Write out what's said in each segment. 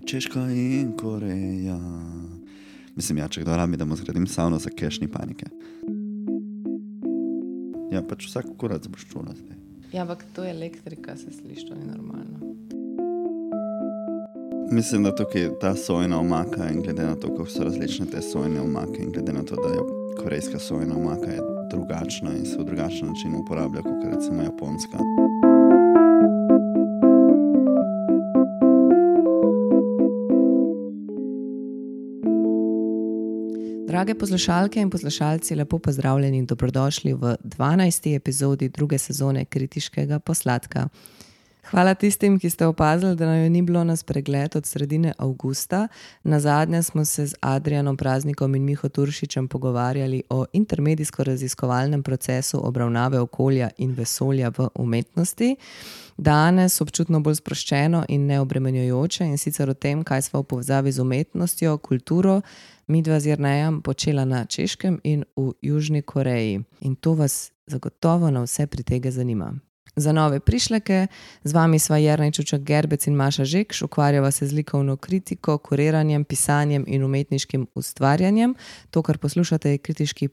Češka in Koreja. Mislim, ja, če kdo rabi, da mu zgradim savno za cash, ni panike. Ja, pač vsak kurac boš čula zdaj. Ja, ampak to je elektrika, se sliši, to ni normalno. Mislim, da tukaj ta sojna omaka in glede na to, kako so različne te sojne omake in glede na to, da je korejska sojna omaka je drugačna in se v drugačen način uporablja, kot recimo japonska. Drage poslušalke in poslušalci, lepo pozdravljeni in dobrodošli v 12. epizodi druge sezone Kritiškega posladka. Hvala tistim, ki ste opazili, da nam ni bilo na spregled od sredine avgusta. Nazadnje smo se z Adrijanom Praznikom in Miho Turšičem pogovarjali o intermedijsko-raziskovalnem procesu obravnave okolja in vesolja v umetnosti. Danes občutno bolj sproščeno in neobremenjujoče, in sicer o tem, kaj sva v povezavi z umetnostjo, kulturo, midva z Jernejem počela na Češkem in v Južni Koreji. In to vas zagotovo na vse pritege zanima. Za nove prišleke, z vami sva Jernej Čučak Gerbec in Maša Žekš, ukvarjava se z likovno kritiko, kuriranjem, pisanjem in umetniškim ustvarjanjem. To, kar poslušate, je kritiški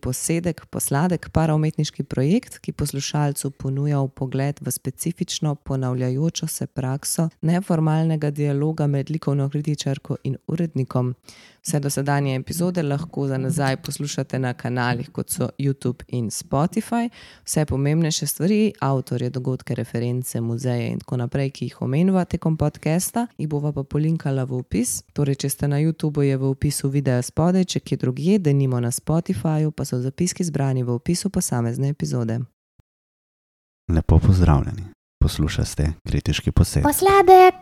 posladek, paraumetniški projekt, ki poslušalcu ponuja vpogled v specifično ponavljajočo se prakso neformalnega dialoga med likovno kritičarko in urednikom. Vse dosedanje epizode lahko za nazaj poslušate na kanalih, kot so YouTube in Spotify. Vse pomembnejše stvari, avtorje, dogodke, reference, muzeje in tako naprej, ki jih omenjava tekom podcasta, jih bova pa polinkala v opis. Torej, če ste na YouTubeu, je v opisu videa spodaj, če kje drugje, denimo na Spotifyju, pa so zapiski zbrani v opisu posamezne epizode. Lepo pozdravljeni. Poslušate Kritiški posed. Posladek.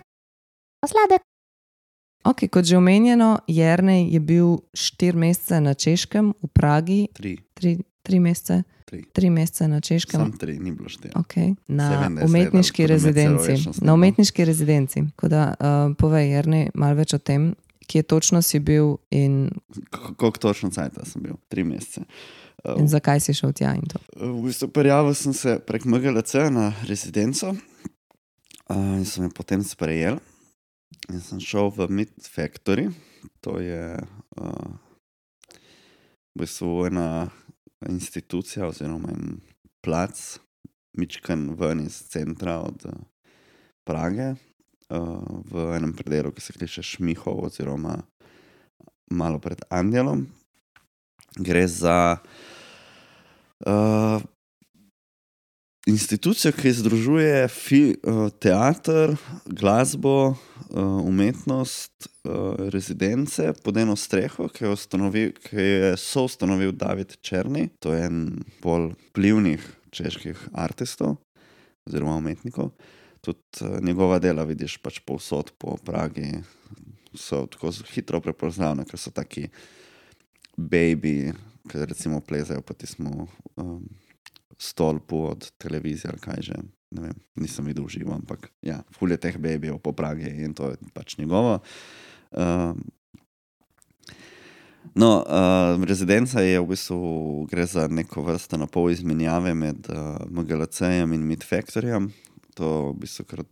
Ok, kot že omenjeno, Jernej je bil 4 mesece na Češkem, v Pragi. 3 mesece? 3 mesece na Češkem. Sam 3, ni bilo 4. Ok, na umetniški rezidenci. Na umetniški rezidenci. Tako da, povej, Jernej, malo več o tem, kje točno si bil in... Koliko točno cajta sem bil? 3 mesece. In zakaj si šel tja in to? V bistvu prijavil sem se prek MGLC na rezidenco in sem jo potem sprejel. In sem šel v Meat Factory, to je v bistvu ena institucija oziroma en plac, mičkan ven iz centra od Prage, v enem predelu, ki se kliče Šmihov oziroma malo pred Angelom. Gre za institucijo, ki združuje teater, glasbo, umetnost, rezidence pod eno streho, ki je soustanovil David Černy. To je en bolj vplivnih čeških artistov oziroma umetnikov. Tudi njegova dela vidiš pač povsod po Pragi. So tako hitro prepoznavne, ker so taki baby, ki recimo plezajo po tismu stolpu od televizije ali kaj že, ne vem, nisem videl živo, ampak ja, ful je teh babyjev po Pragi in to je pač njegovo. Rezidenca je v bistvu, gre za neko vrsto napol izmenjave med MGLC-jem in Meat Factoryjem. To v bistvu kar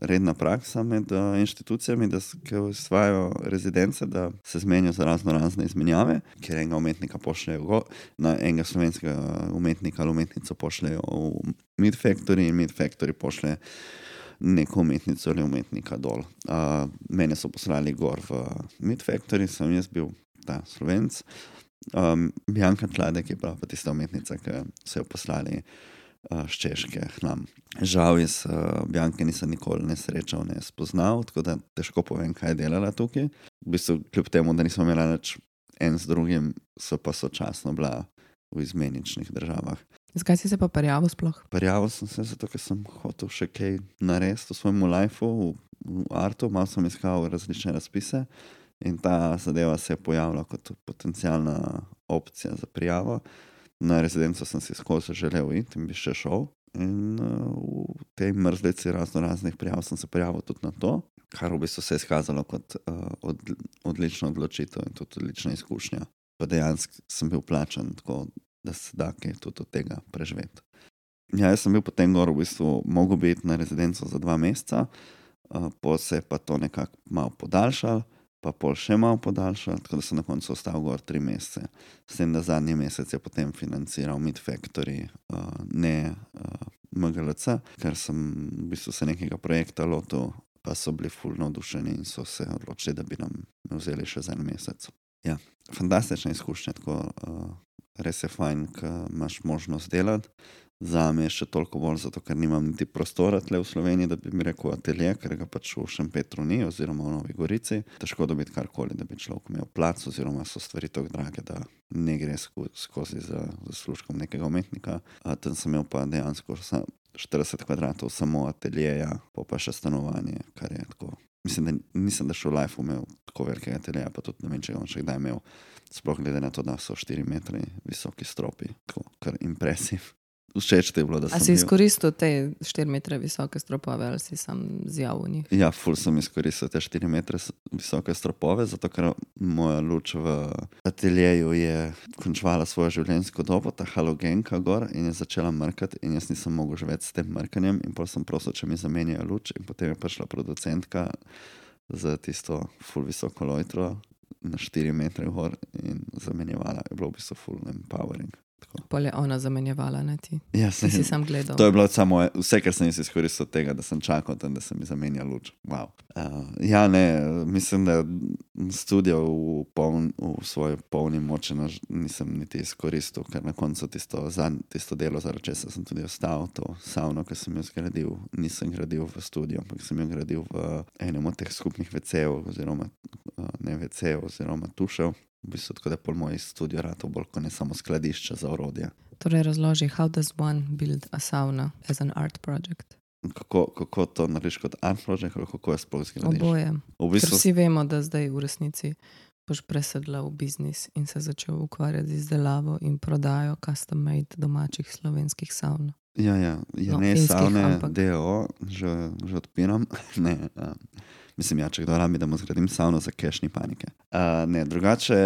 redna praksa med inštitucijami, ki ustvarjajo rezidence, da se zmenijo za razne izmenjave, kjer enega umetnika pošljejo na enega slovenskega umetnika ali umetnico pošljejo v Meat Factory in Meat Factory pošlje neko umetnico ali umetnika dol. Mene so poslali gor v Meat Factory, sem jaz bil ta Slovenc. Bjanka Tladek je prav pa tista umetnica, ki so jo poslali z Češke k nam. Žal jaz Bjanke nisem nikoli ne srečal, ne spoznal, tako da težko povem, kaj je delala tukaj. V bistvu, kljub temu, da nismo imeli nič en z drugim, so pa sočasno bila v izmeničnih državah. Zakaj si se pa prijavil sploh? Prijavil sem se zato, ker sem hotel še kaj narediti v svojemu lifeu, v artu, malo sem iskal različne razpise in ta zadeva se je pojavila kot potencialna opcija za prijavo. Na rezidenco sem si skozi želel iti in bi še šel. In v tej mrzlici raznih prijav sem se prijavil tudi na to, kar v bistvu se je izkazalo kot odlična odločitev in tudi odlična izkušnja. Pa dejansko sem bil plačan tako, da se da kaj tudi od tega preživeti. Ja, jaz sem bil potem gor v bistvu, mogel biti na rezidenco za 2 meseca, pol se je pa to nekako malo podaljšalo, pa pol še malo podaljšalo, tako da sem na koncu ostal gor 3 mesece. S tem, da zadnji mesec je potem financiral Meat Factory, ne MGLC, ker sem v bistvu se nekega projekta lotil, pa so bili ful navdušeni in so se odločili, da bi nam vzeli še za en mesec. Ja, fantastična izkušnja, tako res je fajn, ko imaš možnost delati. Zame je še toliko bolj zato, ker nimam niti prostora tle v Sloveniji, da bi mi rekel atelje, ker ga pač v Šempetru ni oziroma v Novi Gorici. Težko dobiti karkoli, da bi človek imel plac oziroma so stvari tako drage, da ne gre skozi za zaslužkom nekega umetnika. Tam sem imel pa dejansko 40 kvadratov samo ateljeja, pa še stanovanje, kar je tako. Mislim, da nisem da še v lifeu imel tako velikega ateljeja, pa tudi ne vem, če ga še kdaj imel. Sploh glede na to, da so 4 metri visoki stropi, tako kar impresiv. Všeč ti je bilo, da sem A si izkoristil te 4 metre visoke stropove ali si sam zjavil v njih? Ja, ful sem izkoristil te 4 metre visoke stropove, zato ker moja luč v ateljeju je končvala svojo življenjsko dobo, ta halogenka gor, in je začela mrkati in jaz nisem mogel živeti s tem mrkanjem in potem sem prosil, če mi zamenjajo luč in potem je prišla producentka za tisto ful visoko lojtro na 4 metre gor in zamenjevala. Je bilo v bistvu ful empowering. Pol je ona zamenjevala, ne ti? Ja, Ti si sam gledal. To je bilo samo vse, kar sem izkoristil tega, da sem čakal tam, da se mi zamenja luč. Wow. Ja, ne, mislim, da studio v svoji polni moči nisem niti izkoristil, ker na koncu tisto delo, zaradi česa sem tudi ostal, to savno, ki sem jo zgradil, nisem gradil v studio, ampak sem jo gradil v enem od teh skupnih WC-ev oziroma ne WC-ev oziroma tušev. V bistvu tako, da pol moj studio ratov bolj kot ne samo skladišče za orodje. Torej razloži, how does one build a sauna as an art project? Kako to narediš kot art project, ali kako je sploh zgradiš? Oboje. V bistvu, Ker vsi vemo, da zdaj v resnici boš presedla v biznis in se začel ukvarjati z izdelavo in prodajo custom made domačih slovenskih saun. Ja, ne savne, DO, že odpiram. Ne, mislim, ja, če kdo rabi, da mu zgradim savno za cash, ni panike. Ne, drugače,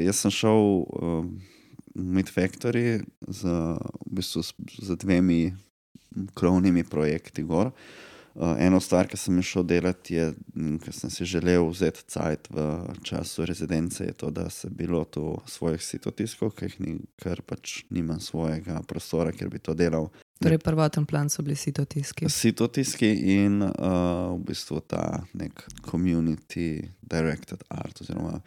jaz sem šel v Meat Factory v bistvu z 2 krovnimi projekti gor. Eno stvar, ki sem šel delati, je, ker sem si želel vzeti cajt v času rezidence, je to, da se bi lotil svojih sitotiskov, ker pač nimam svojega prostora, kjer bi to delal. Torej prvoten plan so bili sitotiski. Sitotiski in v bistvu ta nek community directed art oziroma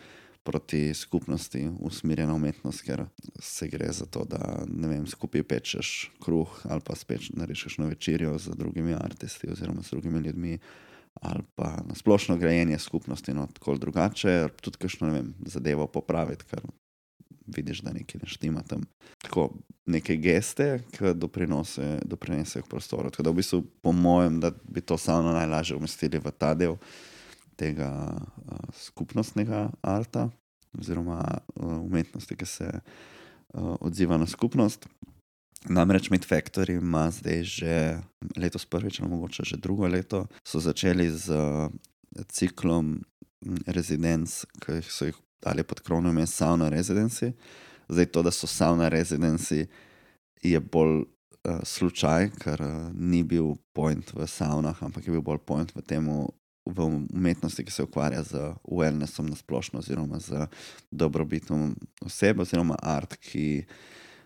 proti skupnosti usmerjena umetnost, ker se gre za to, da ne vem, skupaj pečeš kruh ali pa narediš kakšno večerjo z drugimi artisti oziroma z drugimi ljudmi ali pa na splošno grajenje skupnosti, no tako drugače, tudi kakšno, ne vem, zadevo popraviti, ker vidiš, da nekaj ne štima tam. Tako, neke geste, ki doprinesejo k prostoru. Tako da v bistvu po mojem, da bi to savno najlažje umestili v ta del tega skupnostnega arta oziroma umetnosti, ki se odziva na skupnost. Namreč Meat Factory ima zdaj že letos prvič, ali mogoče že drugo leto, so začeli z ciklom rezidenc, ki so jih dali pod krovno ime Sauna Residency. Zdaj to, da so Sauna Residency, je bolj slučaj, ker ni bil point v saunah, ampak je bil bolj point v umetnosti, ki se ukvarja z wellnessom na splošno oziroma z dobrobitom oseb oziroma art, ki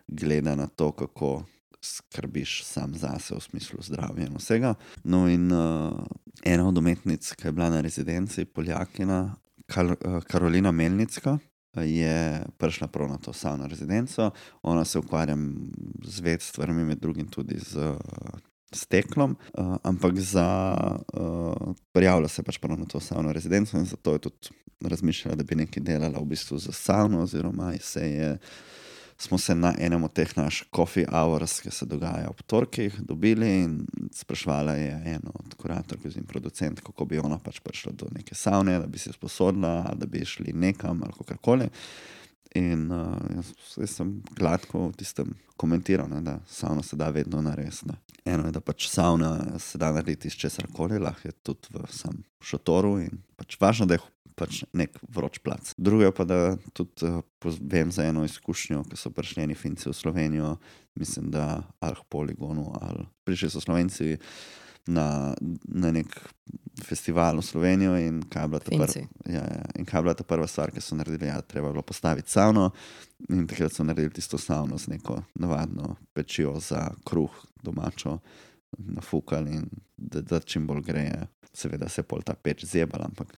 gleda na to, kako skrbiš sam zase v smislu zdravja in vsega. No in ena od umetnic, ki je bila na rezidenci, Poljakina, Karolina Melnicka, je prišla prav na to savno rezidenco. Ona se ukvarja z več stvarmi, med drugim tudi z steklom, ampak prijavila se pač prav na to savno rezidenco in zato je tudi razmišljala, da bi nekaj delala v bistvu za savno oziroma smo se na enem od teh naših coffee hours, ki se dogaja ob torkih, dobili in sprašvala je eno od kuratork in producent, kako bi ona pač prišla do neke savne, da bi se sposodila, ali da bi šli nekam ali kakorkoli. In jaz sem gladko v tistem komentiral, ne, da savno se da vedno narediti. Eno je, da pač savna se da narediti iz česarkoli, lahko je tudi v sam šotoru in pač važno, da je pač nek vroč plac. Drugo je pa, da tudi vem za eno izkušnjo, ko so prišli eni Finci v Slovenijo, mislim, da ali k Poligonu, ali prišli so Slovenci na nek festival v Slovenijo in kaj je bila ta prva stvar, ki so naredili, treba je bilo postaviti savno in takrat so naredili tisto savno z neko navadno pečijo za kruh domačo, nafukali in da čim bolj greje. Seveda se je pol ta peč zjebala, ampak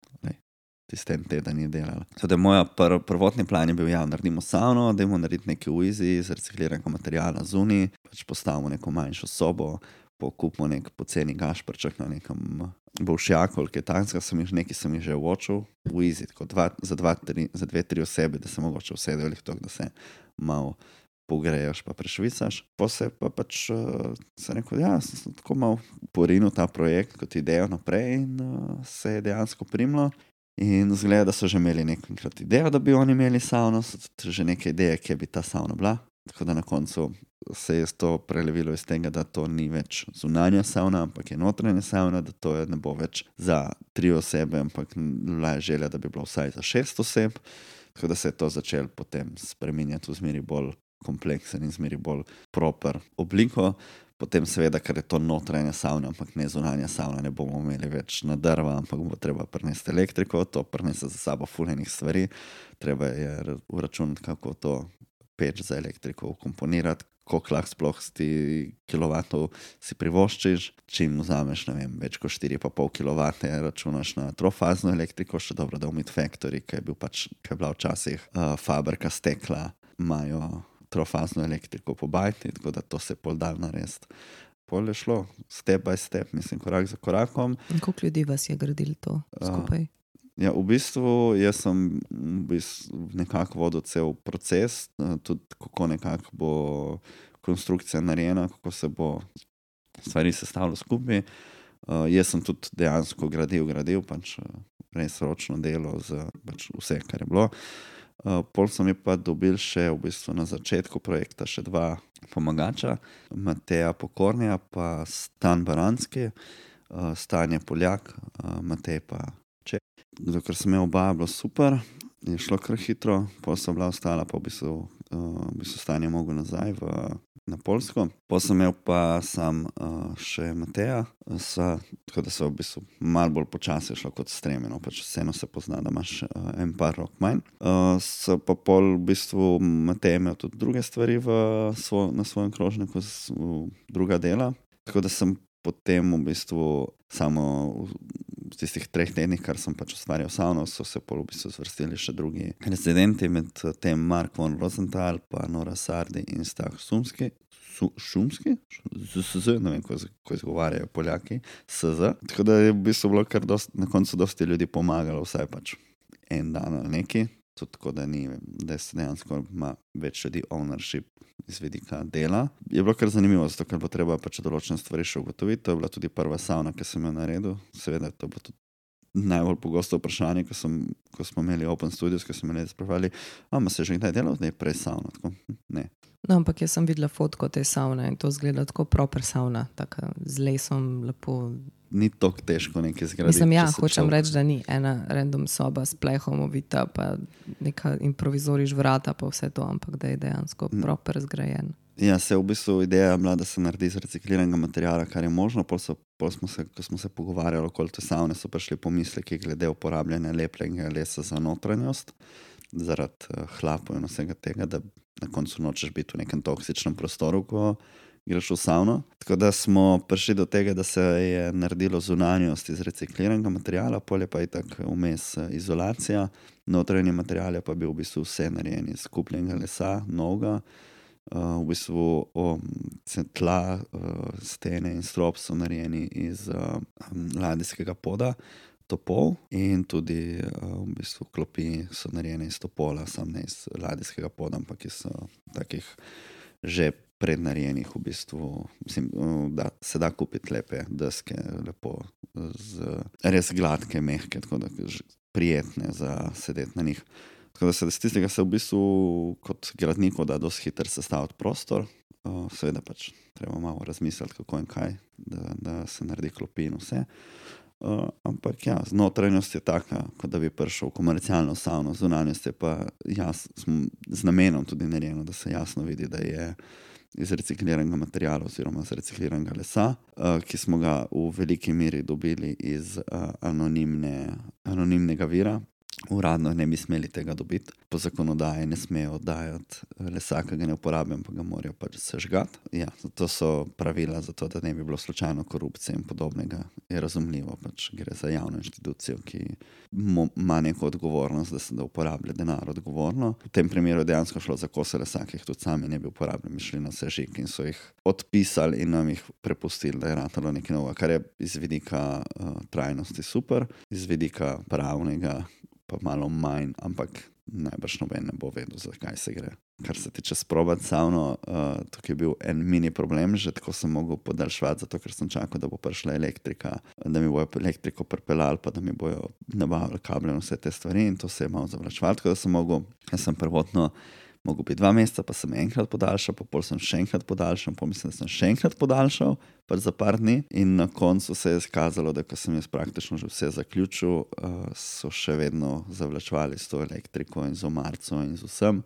tistem teden je delala. Teda moja prvotni plan je bil, naredimo savno, dajmo narediti nekaj v izi z recikliranega materiala zunaj, pač postavimo neko manjšo sobo, kupimo nek poceni gašprček na nekem bolšjaku, kaj takega sem jih že uočil v izi, tako za 2-3 osebe, da se mogoče usedejo to, da se malo pogreješ pa prešvicaš. Posebej pa pač sem rekel, sem tako malo porinil ta projekt kot idejo naprej in se je dejansko primilo. In zgleda, da so že imeli nekajkrat idejo, da bi oni imeli savno, so že neke ideje, kje bi ta savna bila. Tako da na koncu se je to prelevilo iz tega, da to ni več zunanja savna, ampak je notranja savna, da to ne bo več za 3 osebe, ampak bila je želja, da bi bilo vsaj za 6 oseb. Tako da se je to začelo potem spreminjati v zmeri bolj kompleksen in zmeri bolj proper obliko. Potem seveda, ker je to notranja savna, ampak ne zunanja savna, ne bomo imeli več na drva, ampak bo treba prinesti elektriko, to prinese za sabo fulejnih stvari. Treba je uračunati, kako to peč za elektriko ukomponirati, koliko lahko sploh kilovatov si privoščiš. Čim vzameš, več kot 4,5 kilovate, računaš na trofazno elektriko, še dobro, da v Meat Factory, ki je bila včasih fabrika stekla, imajo trofazno elektriko po bajti, tako da to se je pol dal narediti. Pol je šlo step by step, mislim, korak za korakom. In koliko ljudi vas je gradili to skupaj? V bistvu, jaz sem nekako vodil cel proces, tudi kako nekako bo konstrukcija narejena, kako se bo stvari sestavilo skupaj. Jaz sem tudi dejansko gradil, pač res ročno delo za pač vse, kar je bilo. Pol sem je pa dobil še v bistvu na začetku projekta še 2 pomagača, Mateja Pokornja pa Stan Baranski. Stan je Poljak, Matej pa Čeh. Dokler sem imel oba, je bilo super, je šlo kar hitro, pol so bila ostala, pa v bistvu Stan je mogel nazaj na Poljsko. Pol sem imel pa sam še Mateja, tako da so v bistvu malo bolj počasi šlo kot stremeno, pač vseeno se pozna, da imaš en par rok manj. So pa pol v bistvu Matej imel tudi druge stvari na svojem krožniku, druga dela, tako da sem potem v bistvu samo v tistih 3 tednih, kar sem pač ustvarjal savno, so se pol v bistvu zvrstili še drugi rezidenti, med tem Mark von Rosenthal, pa Nora Sardi in Stah Šumski, ne vem, ko izgovarjajo Poljaki, SZ. Tako da je v bistvu bilo kar na koncu dosti ljudi pomagalo, vsaj pač en dan ali neki. Tudi tako, da se dejansko ima več ljudi ownership iz vidika dela. Je bilo kar zanimivo, zato ker bo treba pač določene stvari še ugotoviti. To je bila tudi prva savna, ki sem jo naredil. Seveda to bo tudi najbolj pogosto vprašanje, ko smo imeli Open Studios, ko smo imeli spraševali, se že kdaj delal, da je prej savna? Tako, ne. No, ampak jaz sem videla fotko te savne in to izgleda tako proper savna, tako z lesom, lepo. Ni tako težko nekaj zgraditi. Mislim, hočem reči, da ni ena random soba s plehom ovita, pa neka improvizoriš vrata, pa vse to, ampak da je dejansko proper zgrajen. Ja, se v bistvu ideja je bila, da se naredi iz recikliranega materiala, kar je možno. Ko smo se pogovarjali okoli te savne, so prišli pomisleki glede uporabljanja lepljenega lesa za notranjost, zaradi hlapov in vsega tega, da na koncu nočeš biti v nekem toksičnem prostoru, ko greš v savno. Tako da smo prišli do tega, da se je naredilo zunanjost iz recikliranega materiala, polje pa je tako vmes izolacija, notranji material je pa bil v bistvu vse narejen iz kupljenega lesa, novega. V bistvu tla, stene in strop so narejeni iz ladijskega poda, topol, in tudi v bistvu klopi so narejene iz topola, sam ne iz ladijskega poda, ampak iz takih že prednarejenih v bistvu. Mislim, da se da kupiti lepe deske, lepo, res gladke, mehke, tako da prijetne za sedeti na njih. Tako da se z tistega se v bistvu kot gradniku da dosti hitro sestaviti prostor. Seveda pač treba malo razmisliti, kako in kaj, da se naredi klopi in vse. Ampak ja, notranjost je taka, kot da bi prišel v komercialno savno, zunanjost je pa z namenom tudi narejeno, da se jasno vidi, da je iz recikliranega materiala oziroma iz recikliranega lesa, ki smo ga v veliki meri dobili iz anonimnega vira. Uradno ne bi smeli tega dobiti. Po zakonodaji ne smejo oddajati lesa, ki ga ne uporabijo, pa ga morajo pač sežgati. Ja, to so pravila za to, da ne bi bilo slučajno korupcije in podobnega. Je razumljivo, pač gre za javno inštitucijo, ki ima neko odgovornost, da uporablja denar odgovorno. V tem primeru je dejansko šlo za kose lesa, ki jih tudi sami ne bi uporabljali, šli na sežig in so jih odpisali in nam jih prepustili, da je ratalo nekaj novega, kar je iz vidika trajnosti super, iz vidika pravnega pa malo manj, ampak najbrž noben ne bo vedel, zakaj se gre. Kar se tiče sprobati savno, tukaj je bil en mini problem, že tako sem mogel podaljševati, zato ker sem čakal, da bo prišla elektrika, da mi bojo elektriko pripeljali, pa da mi bojo nabavili kable in vse te stvari in to se je malo zavlačevalo, tako da jaz sem prvotno mogel biti 2 meseca, pa sem enkrat podaljšal, pa pol sem še enkrat podaljšal, pa mislim, da sem še enkrat podaljšal, pa za par dni in na koncu se je izkazalo, da ko sem jaz praktično že vse zaključil, so še vedno zavlačevali s to elektriko in z omarco in z vsem,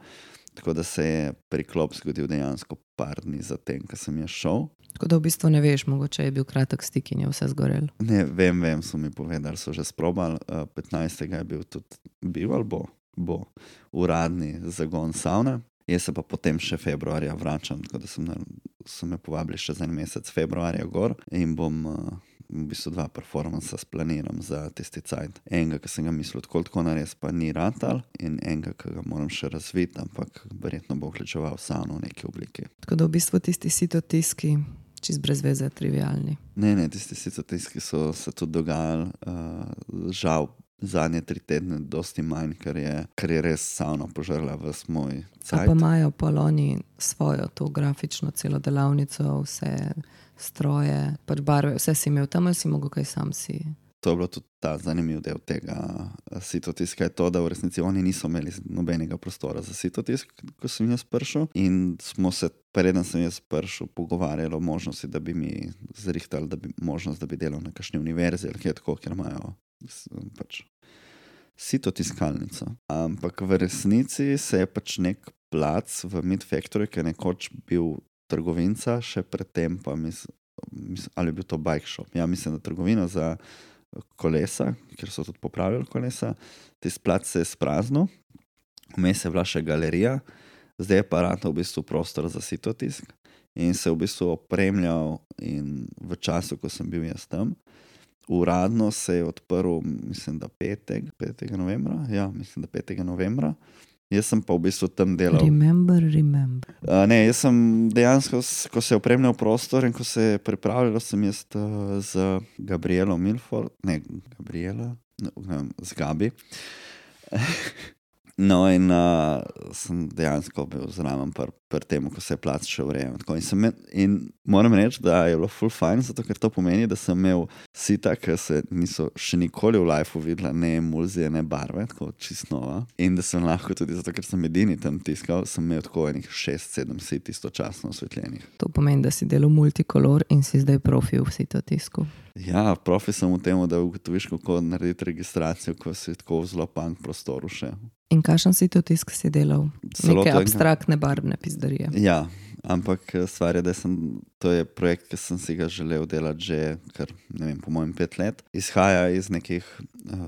tako da se je priklop zgodil dejansko par dni zatem, ko sem jaz šel. Tako da v bistvu ne veš, mogoče je bil kratek stik in je vse zgorelo. Ne, vem, so mi povedali, so že sprobali, 15. je bil ali bo uradni zagon savne. Jaz se pa potem še februarja vračam, tako da so me povabili še za en mesec februarja gor in bom v bistvu 2 performansa splaniram za tisti cajt. Enega, ki sem ga mislil tako narediti, pa ni ratal in enega, ki ga moram še razviti, ampak verjetno bo vključeval savno v neki obliki. Tako da v bistvu tisti sitotiski čist brez veze, trivialni. Ne, tisti sitotiski so se tudi dogajali, žal zadnje 3 tedne dosti manj, ker je res savna požrla ves moj cajt. Pa imajo poloni svojo to grafično celo delavnico, vse stroje, pač barve, vse si imel tam ali si mogel kaj sam si? To je bilo tudi ta zanimiv del tega sitotiska, je to, da v resnici oni niso imeli nobenega prostora za sitotisk, ko sem jaz prišel in smo se, preden sem jaz prišel, pogovarjali o možnosti, da bi mi zrihtali, možnost, da bi delal na kakšni univerzi ali kaj tako, ker imajo pač sitotiskalnico. Ampak v resnici se je pač nek plac v Meat Factory, ki je nekoč bil trgovinca, še predtem pa ali je bil to bike shop. Ja, mislim, da trgovina za kolesa, ker so tudi popravili kolesa. Tisti plac se je spraznil, vmes je bila še galerija, zdaj je pa ratal v bistvu prostor za sitotisk in se v bistvu opremljal in v času, ko sem bil jaz tam, uradno se je odprl, mislim, da 5. novembra. Ja, mislim, da 5. novembra. Jaz sem pa v bistvu tam delal. Remember. Ne, jaz sem dejansko, ko se je opremljal prostor in ko se je pripravljalo, sem jaz z Gabrielo Milford, z Gabi. No in sem dejansko bil zraven pri tem, ko se je plac še urejal. In moram reči, da je bilo ful fajn, zato ker to pomeni, da sem imel sita, ki se niso še nikoli v lifeu videla, ne emulzije, ne barve, tako čisto nova. In da sem lahko tudi, zato ker sem edini tam tiskal, sem imel tako enih 6-7 sit istočasno osvetljenih. To pomeni, da si delal multikolor in si zdaj profi v sitotisku. Ja, profi sem v tem, da ugotoviš, kako narediti registracijo, ko si tako v zelo punk prostoru še. In kakšen sitotisk si delal? Neke abstraktne barvne pizdarije. Ja, ampak stvar je, da to je projekt, ki sem si ga želel delati že kar, ne vem, po mojem 5 let. Izhaja iz nekih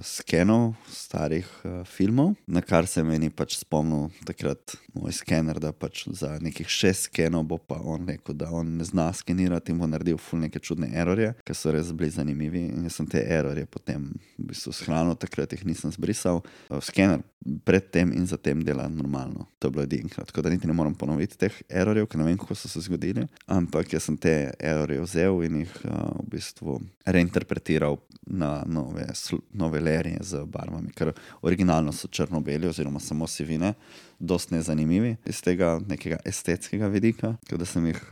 skenov starih filmov, na kar se meni pač spomnil takrat moj skener, da pač za nekih 6 skenov bo pa on rekel, da on ne zna skenirati in bo naredil ful neke čudne errorje, ki so res bili zanimivi in jaz sem te errorje potem v bistvu shranil, takrat jih nisem zbrisal. Skener predtem in zatem dela normalno. To je bilo edinkrat, tako da niti ne moram ponoviti teh errorjev, ker ne vem, kako so se zgodili, ampak jaz sem te errorje vzel in jih v bistvu reinterpretiral na nove lerije z barvami, ker originalno so črno-beli oziroma samo sivine, dosti nezanimivi iz tega nekega estetskega vidika, tako da sem jih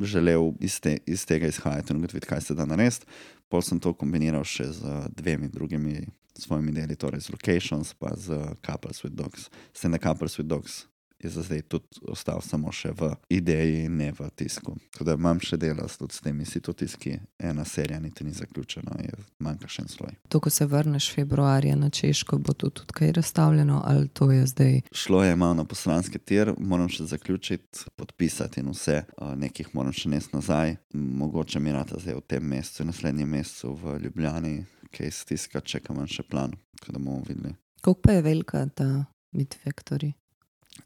želel iz tega izhajati in ugotoviti, kaj se da narediti. Pol sem to kombiniral še z 2 drugimi svojimi deli, torej z Locations pa z Couples with Dogs. S tem, da Couples with Dogs je za zdaj tudi ostal samo še v ideji, ne v tisku. Tako da imam še dela tudi s temi sitotiski. Ena serija niti ni zaključena, manjka še en sloj. To, ko se vrneš februarja na Češko, bo to tudi kaj razstavljeno ali to je zdaj? Šlo je malo na poslanski tir, moram še zaključiti, podpisati in vse. Nekih moram še nesti nazaj. Mogoče mi rata zdaj v tem mesecu, naslednjem mesecu v Ljubljani, kaj stiska, čekam še plan, tako da bomo videli. Koliko pa je velika ta Meat Factory?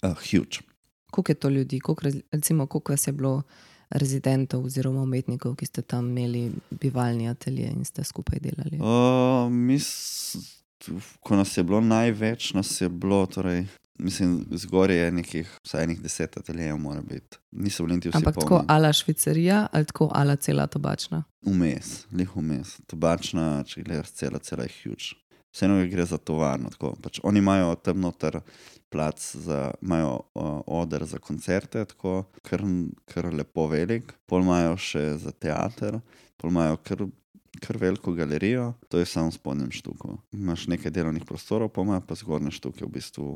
Huge. Koliko je to ljudi? Koliko vas je bilo rezidentov oziroma umetnikov, ki ste tam imeli bivalni atelje in ste skupaj delali? Ko nas je bilo največ, torej, mislim, zgoraj je nekih vsaj 10 ateljejev mora biti. Niso bili niti vsi polni. Ampak tako ala švicarija ali tako ala cela tobačna? Vmes, lih vmes. Tobačna, če gledaš cela je huge. Vseeno gre za tovarno. Tako, pač oni imajo tam noter plac, imajo oder za koncerte, tako kar lepo velik. Pol imajo še za teater, pol imajo kar veliko galerijo, to je samo v spodnjem štuku. Imaš nekaj delovnih prostorov, pa imajo pa zgornje štuke v bistvu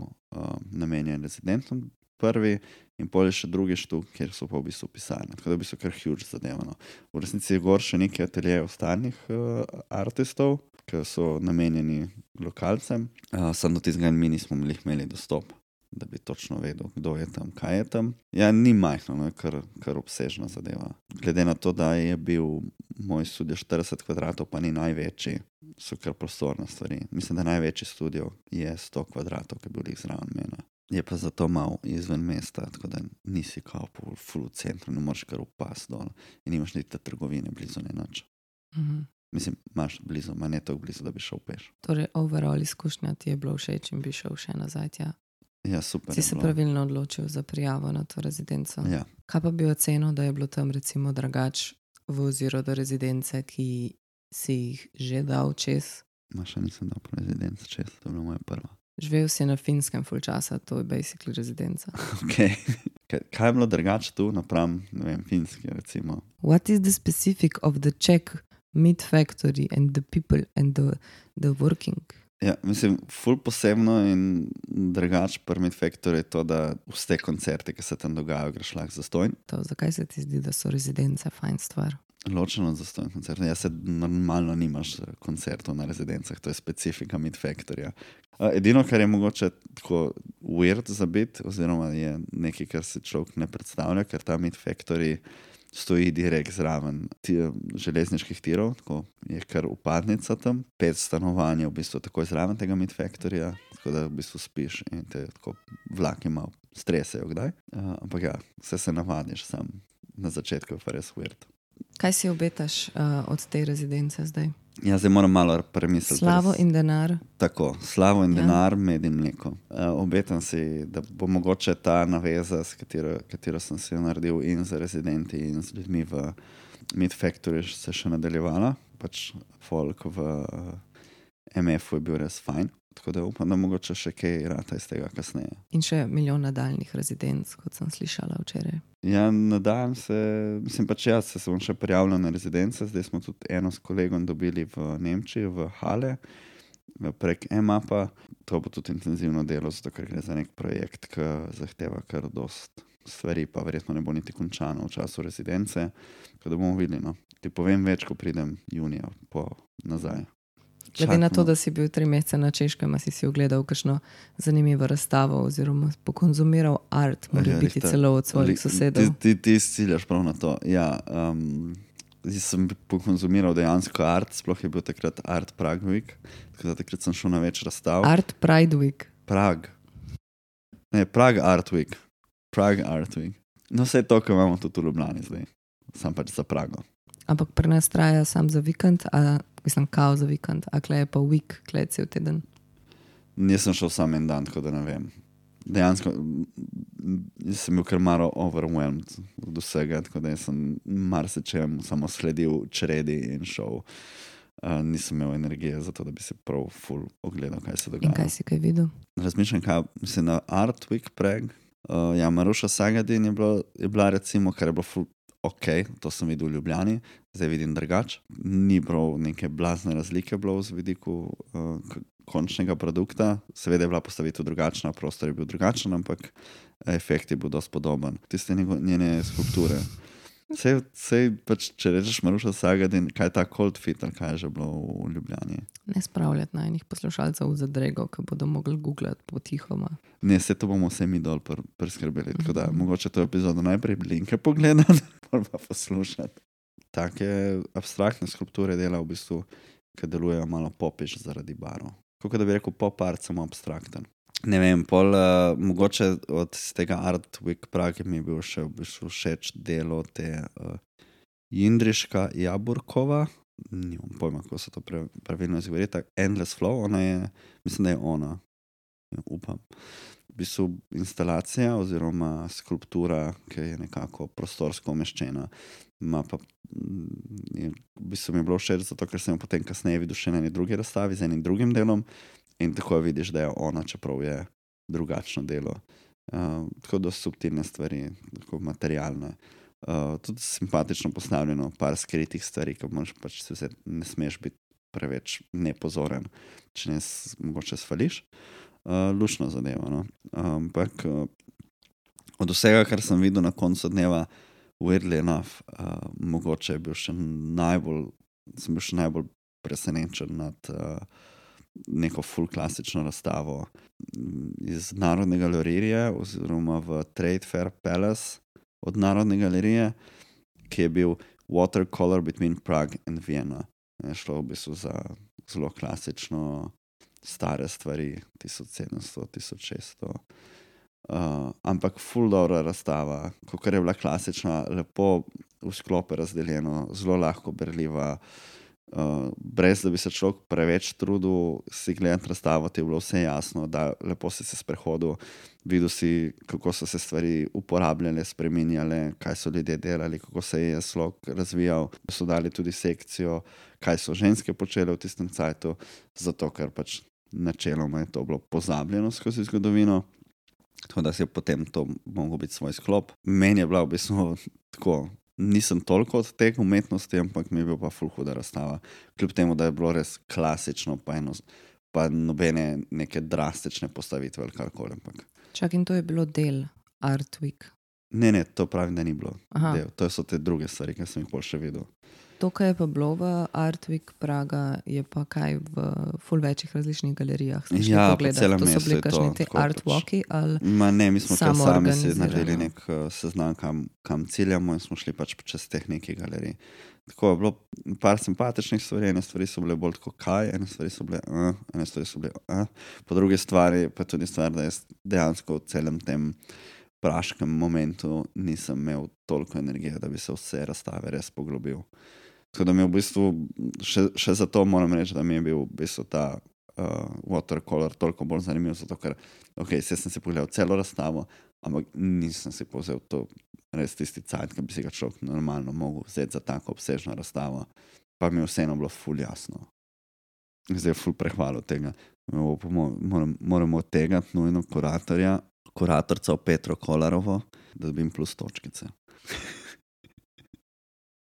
namenjene rezidentom prvi in pol je še drugi štuk, kjer so pa v bistvu pisarne. Tako da v bistvu kar huge zadevano. V resnici je gor še nekaj ateljejev ostalih artistov, ki so namenjeni lokalcem. Samo do tistega mi nismo imeli dostop, da bi točno vedel, kdo je tam, kaj je tam. Ja, ni majhno, no, kar obsežna zadeva. Glede na to, da je bil moj studio 40 kvadratov, pa ni največji, so kar prostorne stvari. Mislim, da največji studio je 100 kvadratov, ki je bil zraven mene. Je pa zato malo izven mesta, tako da nisi kao po full centru, ne moreš kar upasti dol in nimaš niti trgovine blizu, ne nič. Mislim, imaš blizu, ma ne toliko blizu, da bi šel peš. Torej, overall izkušnja ti je bilo všeč in bi šel še nazaj tja? Ja, super. Si se pravilno odločil za prijavo na to rezidenco? Ja. Kaj pa bi ocenil, da je bilo tam recimo drugač v oziru do rezidence, ki si jih že dal čez? Ma še nisem dal po rezidence čez, to je bila moja prva. Živel si na Finskem full časa, to je basically rezidenca. Ok. Kaj je bilo drugače tu napram, ne vem, Finski recimo? What is the specific of the Czech Meat Factory and the people and the working? Ja, mislim, ful posebno in drugače pri Meat Factory je to, da vse koncerte, ki se tam dogajajo, greš lahko zastojn. Zakaj se ti zdi, da so rezidence fajn stvar? Ločeno zastojn koncert. Ja, se normalno nimaš koncertov na rezidencah, to je specifika Meat Factoryja. Edino, kar je mogoče tako weird za biti, oziroma je nekaj, kar si človek ne predstavlja, ker ta Meat Factory stoji direkt zraven železniških tirov, tako je kar upadnica tam. 5 stanovanj je v bistvu takoj zraven tega Meat Factoryja, tako da v bistvu spiš in te tako vlaki malo stresejo kdaj. Ampak ja, vse se navadiš sam. Na začetku je pa res weird. Kaj si obetaš od te rezidence zdaj? Ja, zdaj moram malo premisliti. Slavo in denar. Tako, slavo in denar, med in mleko. Obetam si, da bo mogoče ta naveza, s katero sem si jo naredil in za rezidenti in z ljudmi v Meat Factory se še nadaljevala. Pač folk v MF-u je bil res fajn. Tako da upam, da mogoče še kaj rata iz tega kasneje. In še milijon nadaljnih rezidenc, kot sem slišala včeraj. Ja, nadajam se, mislim pač jaz se bom še prijavljal na rezidence, zdaj smo tudi eno s kolegom dobili v Nemčiji, v Hale, prek EMAP-a. To bo tudi intenzivno delo, zato ker gre za nek projekt, ki zahteva kar dost stvari, pa verjetno ne bo niti končano v času rezidence, tako da bomo videli, no. Ti povem več, ko pridem junija nazaj. Glede na to, da si bil 3 mesece na Češkem, si ogledal kakšno zanimivo razstavo oziroma pokonzumiral art, mora biti celo od svojih sosedov. Ti ciljaš prav na to. Ja, sem pokonzumiral dejansko art, sploh je bil takrat Art Prague Week, tako da takrat sem šel na več razstav. Art Pride Week. Prague. Ne, Prague Art Week. Prague Art Week. No, vse je to, kar imamo tudi v Ljubljani zdaj. Sam pač za Prago. Ampak pri nas traja sam za vikend, mislim, kao za vikend, a kle je pa week, kle je cel teden. Nisem šel sam en dan, tako da ne vem. Dejansko sem bil kar malo overwhelmed od vsega, tako da sem marsičem samo sledil čredi in šel. Nisem imel energije za to, da bi se prav full ogledal, kaj se dogaja. In kaj si kaj videl? Razmišljam, mislim, na Art Week Prague. Ja, Maruša Sagadin je bila recimo, kar je bilo full ok, to sem videl v Ljubljani, zdaj vidim drugače. Ni prav neke blazne razlike bilo z vidiku končnega produkta. Seveda je bila postavitev drugačna, prostor je bil drugačen, ampak efekt je bil dosti podoben. Tiste njene skulpture. Sej pač, če rečeš Maruša Sagadin, kaj je ta Cold Fit, ali kaj je že bilo v Ljubljani? Ne spravljati najnih poslušalcev v zadrego, ki bodo mogli googlati potihoma. Ne, vse to bomo vse mi dol preskrbeli, tako da mogoče to epizodo najprej linke pogledati, pa poslušati. Take abstraktne skulpture dela v bistvu, ki delujejo malo popiš zaradi barov. Kako da bi rekel pop art, samo abstrakten. Ne vem, mogoče od tega Art Week Prague mi je bil še v bistvu všeč delo te Jindriška Jaburkova, nimam pojma, kako se to pravilno izgovori, tak Endless Flow, ona je, mislim, da je ona, upam. V bistvu instalacija oziroma skulptura, ki je nekako prostorsko umeščena, ima pa, v bistvu mi je bilo všeč zato, ker sem jo potem kasneje videl še na eni drugi razstavi z enim drugim delom in tako vidiš, da je ona, čeprav je drugačno delo. Tako dosti subtilne stvari, tako materialne. Tudi simpatično postavljeno, par skritih stvari, ki pač ne smeš biti preveč nepozoren, če ne mogoče svališ. Lušno zadeva, no. Ampak od vsega, kar sem videl na koncu dneva, weirdly enough, mogoče je bil še najbolj presenečen nad neko full klasično razstavo iz Narodne galerije oziroma v Trade Fair Palace od Narodne galerije, ki je bil Watercolor between Prague and Vienna. Je šlo v bistvu za zelo klasično stare stvari, 1700, 1600. Ampak full dobra razstava, kakor je bila klasična, lepo v sklope razdeljeno, zelo lahko berljiva, brez da bi se človek preveč trudil si gledati razstavo, ti je bilo vse jasno, da lepo si se sprehodil, videl si, kako so se stvari uporabljale, spreminjale, kaj so ljudje delali, kako se je slog razvijal, so dali tudi sekcijo, kaj so ženske počele v tistem cajtu, zato ker pač načeloma je to bilo pozabljeno skozi zgodovino, tako da si je potem to mogel biti svoj sklop. Meni je bila v bistvu tako, nisem toliko od teh umetnosti, ampak mi je bil pa ful huda razstava. Kljub temu, da je bilo res klasično, pa nobene neke drastične postavitve ali karkoli. Čak, in to je bilo del Art Week? Ne, to pravim, da ni bilo del. To so te druge stvari, ki sem jih bolj še videl. To, kar je pa bilo v Art Week Praga, je pa kaj v ful večjih različnih galerijah. Ja, po celem mestu je to. To so bili kakšni te art walki ali ne, mi smo kar sami si naredili nek seznam, kam ciljamo in smo šli pač čez teh nekih galerij. Tako je bilo par simpatičnih stvari, ene stvari so bile bolj tako kaj, ene stvari so bile po drugi stvari pa tudi stvar, da jaz dejansko v celem tem praškem momentu nisem imel toliko energije, da bi se vse razstave res poglobil. Tako da mi je v bistvu, še zato moram reči, da mi je bil v bistvu ta watercolor toliko bolj zanimiv, zato ker, sem si pogledal celo razstavo, ampak nisem si povzel to res tisti cajt, ki bi si ga človek normalno mogel vzeti za tako obsežno razstavo, pa mi je vseeno bilo ful jasno. Zdaj je ful prehvalil tega. Moramo odtegati nujno kuratorca Petro Kolarovo, da dobim plus točkice.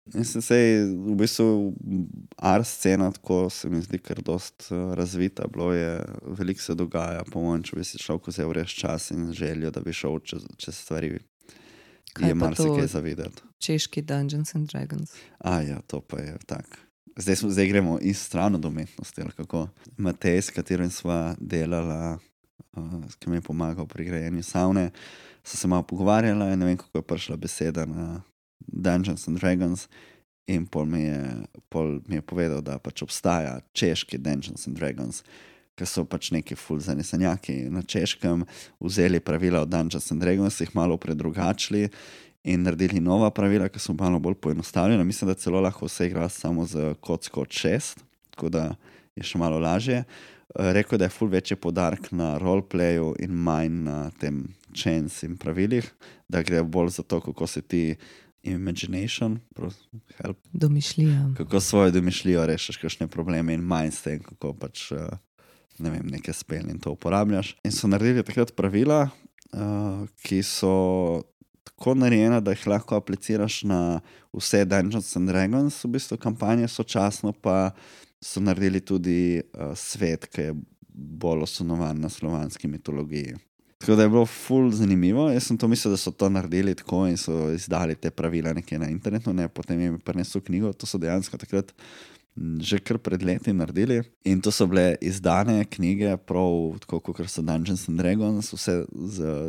V bistvu art scena tako se mi zdi kar dost razvita, veliko se dogaja, po mojem, če bi si človek vzel res čas in željo, da bi šel čez stvari, je marsikaj za videti. Češki Dungeons and Dragons. Ja, to pa je tak. Zdaj gremo iz stran od umetnosti, ali kako. Matej, s katerim sva delala, ki mi je pomagal pri grajenju savne, so se malo pogovarjala in ne vem, kako je prišla beseda na Dungeons and Dragons in pol mi je povedal, da pač obstaja češki Dungeons and Dragons, ki so pač neki ful zanesenjaki na češkem, vzeli pravila od Dungeons and Dragons, jih malo predrugačili in naredili nova pravila, ki so malo bolj poenostavljena. Mislim, da celo lahko vse igra samo z kocko od 6, tako da je še malo lažje. Rekel, da je ful večji poudarek na roleplayu in manj na tem chains in pravilih, da gre bolj za to, kako se ti imagination, help. Domišljija. Kako svojo domišljijo rešaš kakšne probleme in manj s tem, kako pač, ne vem, neke spel in to uporabljaš. In so naredili takrat pravila, ki so tako narejena, da jih lahko apliciraš na vse Dungeons and Dragons, v bistvu kampanje, sočasno pa so naredili tudi svet, ki je bolj osnovan na slovanski mitologiji. Tako da je bilo ful zanimivo. Jaz sem to mislil, da so to naredili tako in so izdali te pravila nekje na internetu, ne, potem jim je prinesel knjigo, to so dejansko takrat že kar pred leti naredili. In to so bile izdane knjige, prav tako kot so Dungeons and Dragons, vse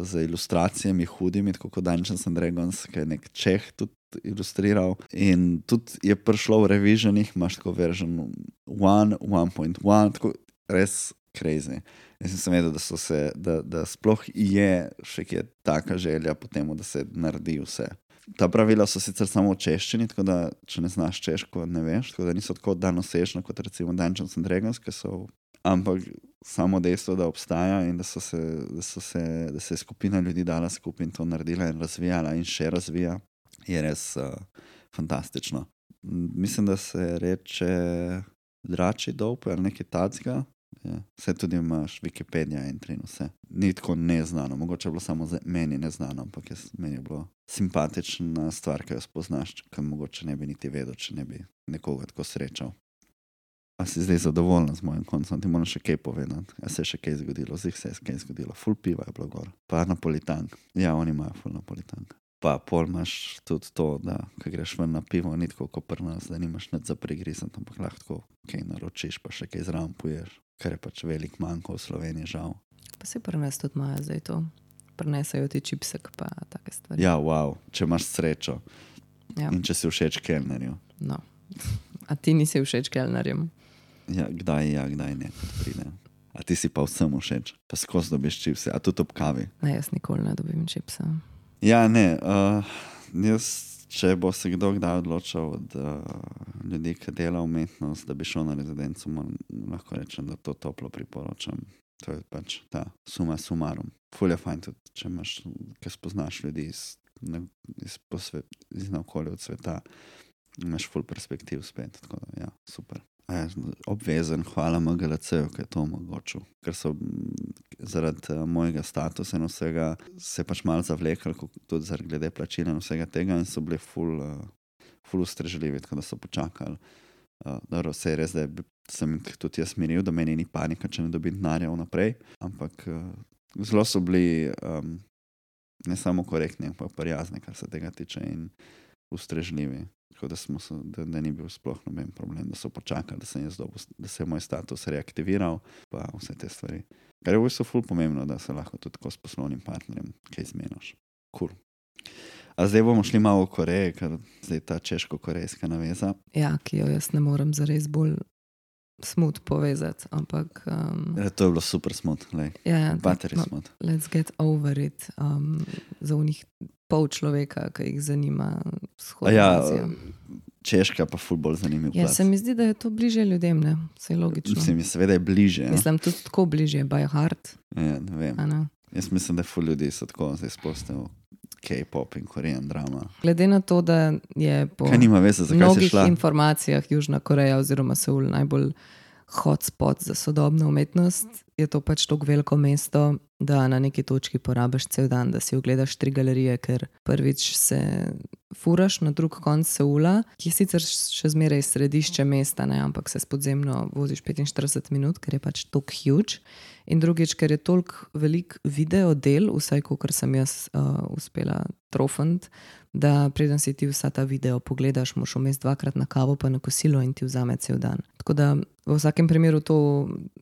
z ilustracijami hudimi, tako kot Dungeons and Dragons, ki je nek Čeh tudi ilustriral. In tudi je prišlo v revisionih, imaš tako version 1, 1.1, tako res crazy. Jaz sem vedel, da sploh je še kje taka želja po temu, da se naredi vse. Ta pravila so sicer samo v češčini, tako da če ne znaš češko, ne veš, tako da niso tako daljnosežna kot recimo Dungeons and Dragons, ampak samo dejstvo, da obstaja in da se je skupina ljudi dala skupaj in to naredila in razvijala in še razvija, je res fantastično. Mislim, da se reče Dračji dolp ali nekaj tacga. Vse tudi imaš Wikipedija in vse. Ni tako neznano, mogoče je bilo samo meni neznano, ampak meni je bilo simpatična stvar, ki jo spoznaš, ki mogoče ne bi niti vedel, če ne bi nekoga tako srečal. A si zdaj zadovoljna z mojim koncem? Ti moram še kaj povedati. A se je še kaj zgodilo? Zdaj se je kaj zgodilo. Ful piva je bilo gor. Pa napolitank. Ja, oni imajo ful napolitank. Pa pol imaš tudi to, da ko greš ven na pivo, ni tako kot pri nas, da nimaš nič za prigrizati, ampak lahko kaj naročiš, pa še kaj zraven poješ. Kar je pač velik manjko v Sloveniji, žal. Pa si pri nas tudi imajo zdaj to. Prinesajo ti čipsek pa take stvari. Ja, wow, če imaš srečo. Ja. In če si všeč kelnerju. No. A ti nisi všeč kelnerjem? Ja, kdaj ne, kot pride. A ti si pa vsem všeč. Pa skozi dobiš čipse, a tudi ob kavi. Ne, jaz nikoli ne dobim čipsa. Ja, ne, jaz, če bo se kdo kdaj odločil od ljudi, ki dela umetnost, da bi šel na rezidenco, lahko rečem, da to toplo priporočam. To je pač ta suma sumarum. Ful je fajn tudi, če imaš, ki spoznaš ljudi iz naokolja od sveta, imaš ful perspektiv spet, tako da ja, super. Obvezen, hvala MGLC-ju, ki je to omogočil, ker so zaradi mojega statusa in vsega se pač malo zavlekli, tudi zaradi glede plačila in vsega tega in so bili ful ustrežljivi, tako da so počakali. Dobro, vse je res, da sem tudi jaz miril, da meni ni panika, če ne dobim denarja vnaprej, ampak zelo so bili ne samo korektni, ampak prijazni, kar se tega tiče in ustrežljivi. Tako da ni bil sploh noben problem, da so počakali, da se je moj status reaktiviral, pa vse te stvari. Kar je v bistvu ful pomembno, da se lahko tudi tako s poslovnim partnerjem kaj zmeniš. Cool. A zdaj bomo šli malo v Koreji, ker zdaj ta češko-korejska naveza. Ja, ki jo jaz ne morem zares bolj smut povezati, ampak... To je bilo super smut, bateri smut. Let's get over it. Za unih pol človeka, ki jih zanima vzhodna Azija. Češka pa ful bolj zanimiv plac. Ja, se mi zdi, da je to bliže ljudem, ne? Vse je logično. Mislim, seveda je bliže. Mislim, tudi tako bliže, by heart. Ja, ne vem. Jaz mislim, da ful ljudi so tako zdaj spostili K-pop in Korean drama. Glede na to, da je po mnogih informacijah Južna Koreja oziroma Seul najbolj hotspot za sodobno umetnost, je to pač tako veliko mesto, da na neki točki porabiš cel dan, da si ogledaš 3 galerije, ker prvič se furaš na drug konc Seula, ki je sicer še zmeraj središče mesta, ne, ampak se podzemno voziš 45 minut, ker je pač toliko huge. In drugič, ker je toliko velik video del, vsaj kakor sem jaz uspela trofant, da preden si ti vsa ta video pogledaš, moš vmes 2-krat na kavo pa na kosilo in ti vzame cel dan. Tako da v vsakem primeru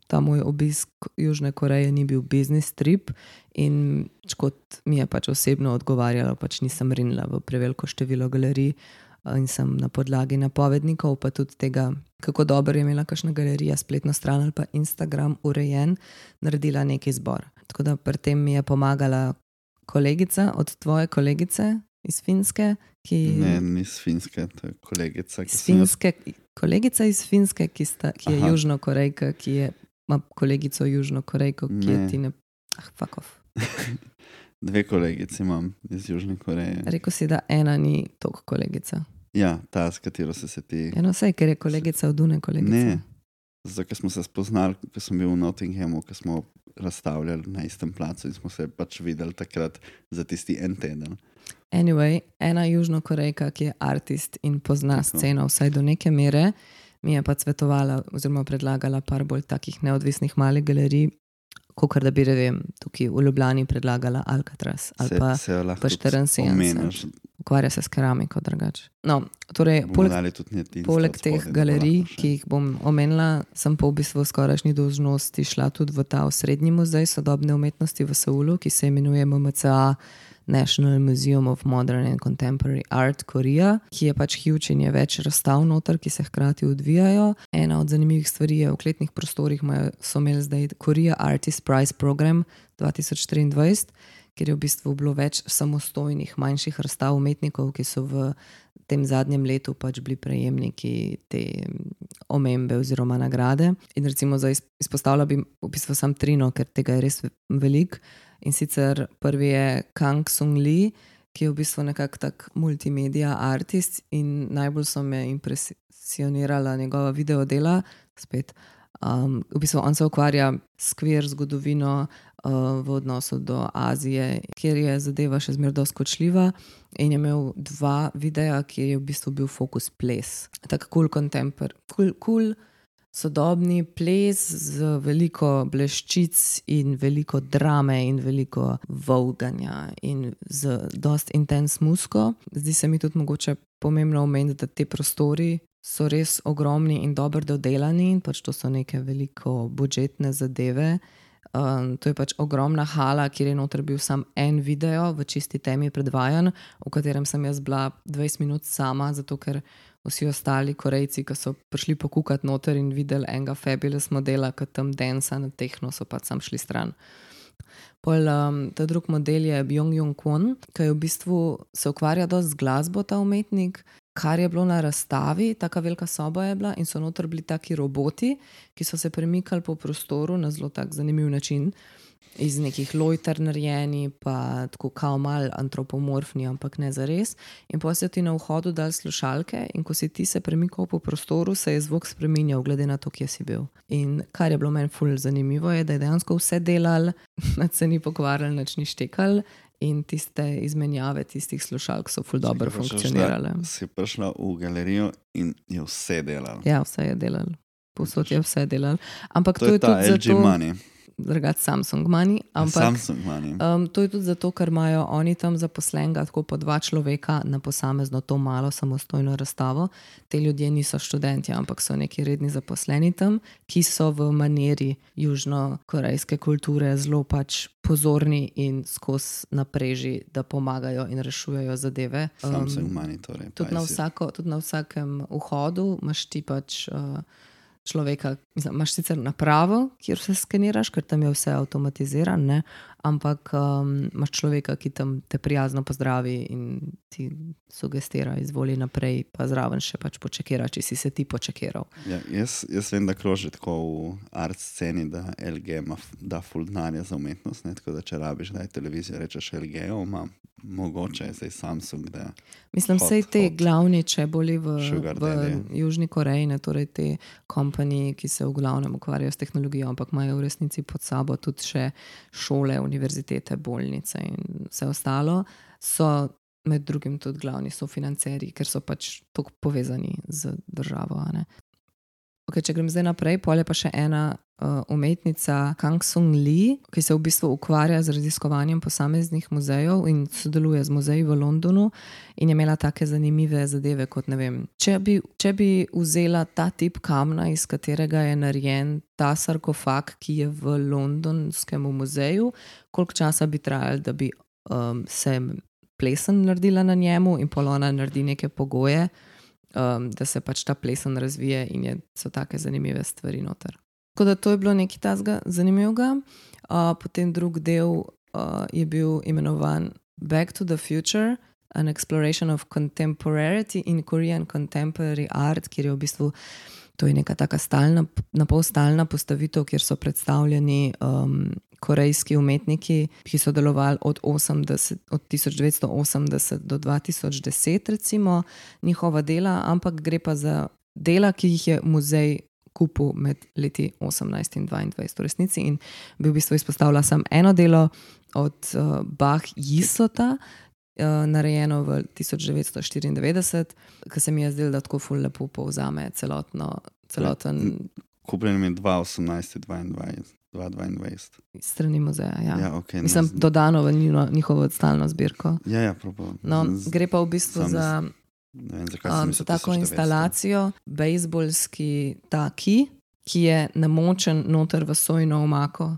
ta moj obisk Južne Koreje ni bil business trip in kot mi je pač osebno odgovarjalo, pač nisem rinila v preveliko število galerij in sem na podlagi napovednikov, pa tudi tega, kako dobro je imela kakšna galerija, spletno stran ali pa Instagram urejen, naredila neki izbor. Tako da pri tem mi je pomagala kolegica od tvoje kolegice iz Finske, ki... Ne, ni iz Finske, to je kolegica. Kolegica iz Finske, ki je Južnokorejka, ki ima kolegico Južnokorejko, ki je ti ne... fuck off. 2 kolegice imam iz Južne Koreje. Rekel si, da ena ni toliko kolegica. Ja, ta, s katero se ti... Eno vse, ker je kolegica od une kolegice. Ne, zato, ker smo se spoznali, ko sem bil v Nottinghamu, ko smo razstavljali na istem placu in smo se pač videli takrat za tisti en teden. Anyway, ena Južnokorejka, ki je artist in pozna sceno vsaj do neke mere, mi je pa svetovala oziroma predlagala par bolj takih neodvisnih malih galerij, kakor da bi, tukaj v Ljubljani predlagala Alcatraz ali pa 74. Ukvarja se s keramiko drugače. No, torej, poleg teh galerij, ki jih bom omenila, sem pa v bistvu skorajšnji dolžnosti šla tudi v ta osrednji muzej sodobne umetnosti v Seulu, ki se imenuje MMCA National Museum of Modern and Contemporary Art Korea, ki je pač huge in je več razstav noter, ki se hkrati odvijajo. Ena od zanimivih stvari je v kletnih prostorih so imeli zdaj Korea Artist Prize Program 2023, kjer je v bistvu bilo več samostojnih manjših razstav umetnikov, ki so v tem zadnjem letu pač bili prejemniki te omembe oziroma nagrade. In recimo izpostavila bi v bistvu sam 3, ker tega je res veliko. In sicer prvi je Kang Sung Lee, ki je v bistvu nekako tak multimedia artist in najbolj so me impresionirala njegova videodela. Spet, v bistvu on se ukvarja s queer zgodovino v odnosu do Azije, kjer je zadeva še zmeraj dosti kočljiva, in je imel 2 videa, kjer je v bistvu bil fokus ples. Tak cool sodobni ples z veliko bleščic in veliko drame in veliko volganja in z dosti intens muziko. Zdi se mi tudi mogoče pomembno omeniti, da te prostori so res ogromni in dobro dodelani in pač to so neke veliko budžetne zadeve. To je pač ogromna hala, kjer je noter bil sam en video v čisti temi predvajan, v katerem sem jaz bila 20 minut sama, zato ker vsi ostali Korejci, ki so prišli pokukati noter in videli enega fabulous modela, ki tam dansa na tehno, so pač sam šli stran. Pol, ta drug model je Byung-Jung Kwon, ki je v bistvu se ukvarja dosti z glasbo, ta umetnik, kar je bilo na razstavi, taka velika soba je bila in so noter bili taki roboti, ki so se premikali po prostoru na zelo tak zanimiv način, iz nekih lojter narejeni, pa tako kao mal antropomorfni, ampak ne zares. In potem so ti na vhodu dali slušalke in ko si ti se premikal po prostoru, se je zvok spreminjal glede na to, kje si bil. In kar je bilo meni ful zanimivo je, da je dejansko vse delal, nad se ni pokvarjal, nič ni štekal in tiste izmenjave tistih slušalk so ful dobro funkcionirale. Si prišla v galerijo in je vse delal. Ja, vse je delal. Povsod je vse delal. Ampak to je ta tudi LG Money. Drugač Samsung Money, ampak Samsung Money. To je tudi zato, ker imajo oni tam zaposlenega tako po 2 človeka na posamezno to malo samostojno razstavo. Te ljudje niso študenti, ampak so neki redni zaposleni tam, ki so v maniri južnokorejske kulture zelo pač pozorni in skozi napreži, da pomagajo in rešujejo zadeve. Samsung Money torej. Tudi na vsakem vhodu imaš ti pač človeka, imaš sicer napravo, kjer vse skeniraš, ker tam je vse avtomatiziran, ne? Ampak imaš človeka, ki tam te prijazno pozdravi in ti sugestira, izvoli naprej, pa zraven še pač počekira, če si se ti počekiral. Ja, jaz vem, da kroži tako v art sceni, da LG da ful denarja za umetnost, ne? Tako da če rabiš, da je televizija, rečeš LG-o, ima mogoče zdaj Samsung, da mislim, sej te glavni čeboli v Južni Koreji, ne, torej te kompanije, ki se v glavnem ukvarjajo s tehnologijo, ampak imajo v resnici pod sabo tudi še šole, univerzitete, bolnice in vse ostalo, so med drugim tudi glavni sofinanceri, ker so pač tako povezani z državo. Ne? Okay, če grem zdaj naprej, pol je pa še ena umetnica Kang Sung Lee, ki se v bistvu ukvarja z raziskovanjem posameznih muzejev in sodeluje z muzeji v Londonu in je imela take zanimive zadeve, kot ne vem, če bi vzela ta tip kamna, iz katerega je narejen ta sarkofag, ki je v londonskem muzeju, koliko časa bi trajalo, da bi se plesen naredila na njemu in pol ona naredi neke pogoje, da se pač ta plesen razvije in so take zanimive stvari noter. Tako da to je bilo nekaj tazga zanimivega. Potem drug del je bil imenovan Back to the Future, an exploration of contemporarity in Korean contemporary art, kjer je v bistvu, to je neka taka stalna, napol stalna postavitev, kjer so predstavljeni korejski umetniki, ki so delovali od 1980 do 2010 recimo, njihova dela, ampak gre pa za dela, ki jih je muzej kupil med leti 18 in 22 v resnici in bi v bistvu izpostavila samo eno delo od Bach Yisota, narejeno v 1994, ki se mi je zdelo, da tako ful lepo povzame celoten kupljen je 2018-2022. Strani muzeja, ja. Ja, okay, Mislim, dodano v njihovo stalno zbirko. Ja, prav. No, gre pa v bistvu za tako instalacijo, bejzbolski taki, ki je namočen noter v sojino omako.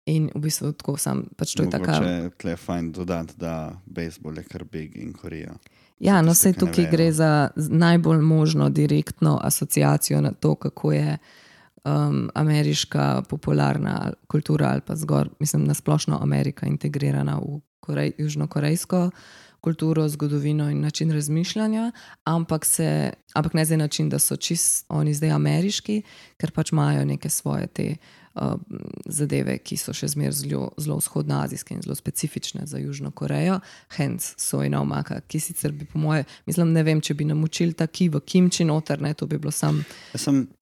In v bistvu tako pač to je taka... Mogoče tle je fajn dodati, da bejzbol je kar big in Korea. Ja, no sej tukaj gre za najbolj možno direktno asociacijo na to, kako je ameriška popularna kultura ali pa mislim, nasplošno Amerika integrirana v južnokorejsko kulturo, zgodovino in način razmišljanja, ampak ne zdaj način, da so oni zdaj ameriški, ker pač imajo neke svoje te zadeve, ki so še zmer zelo vzhodnoazijske in zelo specifične za Južno Korejo. Hence sojina omaka, ki sicer bi po moje, mislim, ne vem, če bi namočili taki v kimči noter, ne, to bi bilo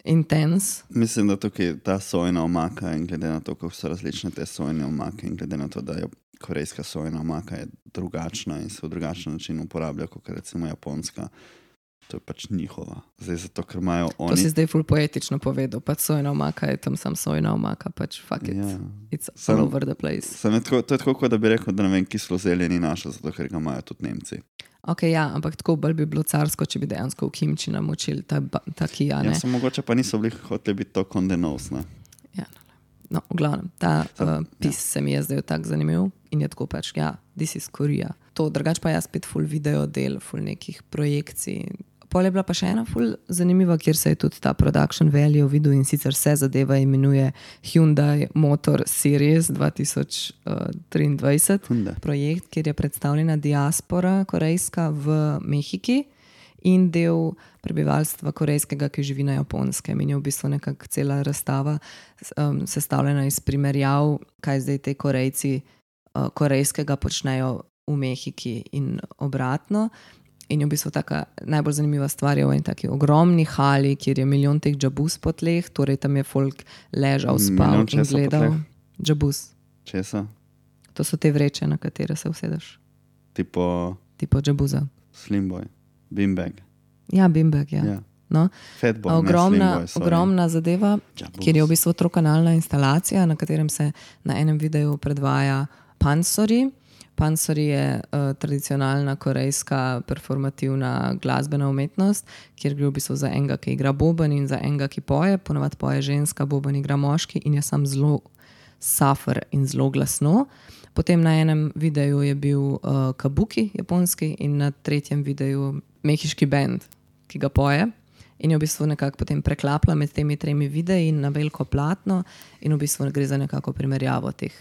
intens. Mislim, da tukaj ta sojina omaka in glede na to, kako so različne te sojine omake in glede na to, da je korejska sojina omaka je drugačna in se v drugačen način uporablja, kot recimo japonska. To je pač njihova. Zdaj zato, ker imajo oni... To si zdaj ful poetično povedal, pač sojina omaka je tam sam sojina omaka, pač fuck it, it's all over the place. To je tako, da bi rekel, da ne vem, kislo zelje ni naša, zato ker ga imajo tudi Nemci. Ok, ja, ampak tako bolj bi bilo carsko, če bi dejansko v kimči namočili ta kija, ne? Ja, so mogoče pa niso bili hoteli biti to kondenos, ne? Ja, no, v glavnem, ta pis se mi je zdaj tak zanimiv in je tako pač, ja, this is Korea. To, drugač pa jaz spet ful video del, ful nekih projekcij. Pol je bila pa še ena ful zanimiva, kjer se je tudi ta production value videl in sicer se zadeva imenuje Hyundai Motor Series 2023. Projekt, kjer je predstavljena diaspora korejska v Mehiki in del prebivalstva korejskega, ki živi na Japonskem. In je v bistvu nekako cela razstava sestavljena iz primerjav, kaj zdaj te Korejci korejskega počnejo v Mehiki in obratno. In je v bistvu taka najbolj zanimiva stvar je v eni taki ogromni hali, kjer je milijon teh džabus po tleh, torej tam je folk ležal, spal in gledal. Džabus. Česa? To so te vreče, na katere se usedeš. Tipo džabuza. Slimboy. Beanbag. Ja, beanbag, ja. Yeah. No? Fatboy, ogromna zadeva, Džabus. Kjer je v bistvu trokanalna instalacija, na katerem se na enem videu predvaja pansori. Pansori je tradicionalna korejska performativna glasbena umetnost, kjer gre v bistvu za enega, ki igra boben in za enega, ki poje. Ponavadi poje ženska, boben igra moški in je sam zelo safer in zelo glasno. Potem na enem videu je bil kabuki, japonski, in na tretjem videu mehiški band, ki ga poje. In je v bistvu nekako potem preklapla med temi tremi videi na veliko platno in v bistvu gre za nekako primerjavo teh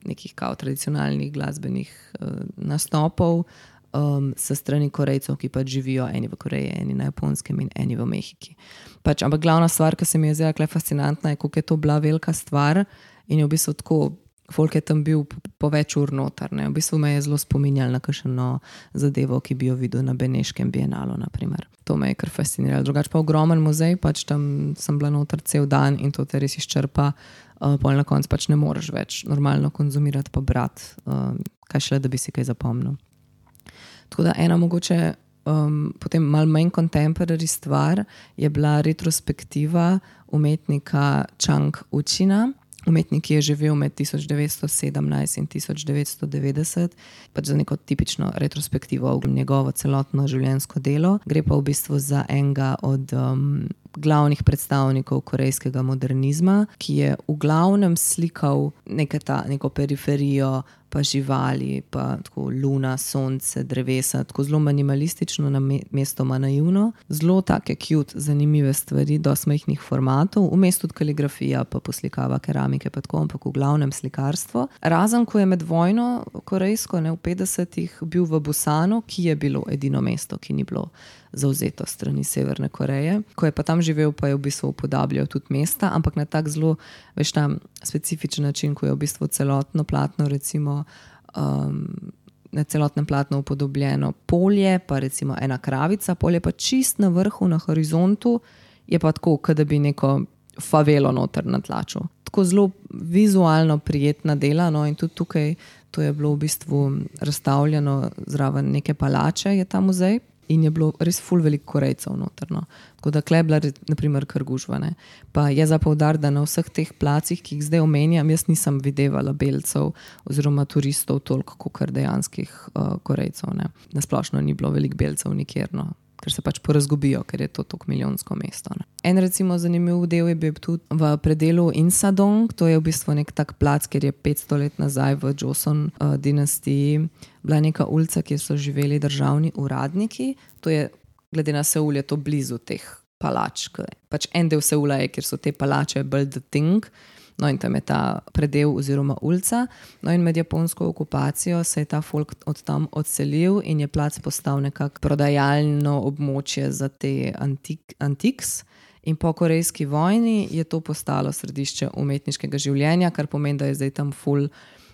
nekih kao tradicionalnih glasbenih nastopov s strani Korejcev, ki pač živijo eni v Koreji, eni na Japonskem in eni v Mehiki. Pač, ampak glavna stvar, ki se mi je zdaj fascinantna, je, koliko je to bila velika stvar in je v bistvu tako, folk je tam bil po več ur noter. Ne? V bistvu me je zelo spominjal na kakšno zadevo, ki bi jo videl na Beneškem bienalu, naprimer. To me je kar fasciniralo. Drugač pa ogromen muzej, pač tam sem bila noter cel dan in to te res izčrpa. Pol na koncu pač ne moreš več normalno konzumirati pa brati, kaj šele, da bi si kaj zapomnil. Tako da ena mogoče potem malo manj contemporary stvar je bila retrospektiva umetnika Chang Uchina. Umetnik, ki je živel med 1917 in 1990, pač za neko tipično retrospektivo v njegovo celotno življenjsko delo. Gre pa v bistvu za enega od glavnih predstavnikov korejskega modernizma, ki je v glavnem slikal neko periferijo, pa živali, pa tako luna, sonce, drevesa, tako zelo minimalistično, mestoma naivno. Zelo take cute, zanimive stvari, dosti majhnih formatov, vmes tudi kaligrafija, pa poslikava keramike, pa tako, ampak v glavnem slikarstvo. Razen, ko je med vojno korejsko, v 50-ih, bil v Busanu, ki je bilo edino mesto, ki ni bilo zauzeto strani Severne Koreje. Ko je pa tam živel, pa je v bistvu upodabljal tudi mesta, ampak na tak zelo, veš, tam specifičen način, ko je v bistvu celotno platno, recimo na celotnem platnu upodobljeno polje, pa recimo ena kravica, polje pa čist na vrhu, na horizontu, je pa tako, kot da bi neko favelo noter natlačil. Tako zelo vizualno prijetna dela, no, in tudi tukaj to je bilo v bistvu razstavljeno zraven neke palače, je ta muzej. in je bilo res ful veliko Korejcev notrno. Tako da kle je bila naprimer kar gužva. Ne. Pa je za poudariti, da na vseh teh placih, ki jih zdaj omenjam, jaz nisem videvala belcev oziroma turistov toliko, kot dejanskih Korejcev. Ne. Nasplošno ni bilo veliko belcev nikjer, no. Ker se pač porazgubijo, ker je to tako milijonsko mesto. Ne. En recimo zanimiv del je bil tudi v predelu Insadong, to je v bistvu nek tak plac, ker je 500 let nazaj v Joseon dinastiji bila neka ulica, kjer so živeli državni uradniki. To je, glede na Seul, je to blizu teh palač. Pač en del Seula je, kjer so te palače bolj the thing, no in tam je ta predel oziroma ulica. No in med japonsko okupacijo se je ta folk od tam odselil in je plac postal nekako prodajalno območje za te antiks. In po korejski vojni je to postalo središče umetniškega življenja, kar pomeni, da je zdaj tam ful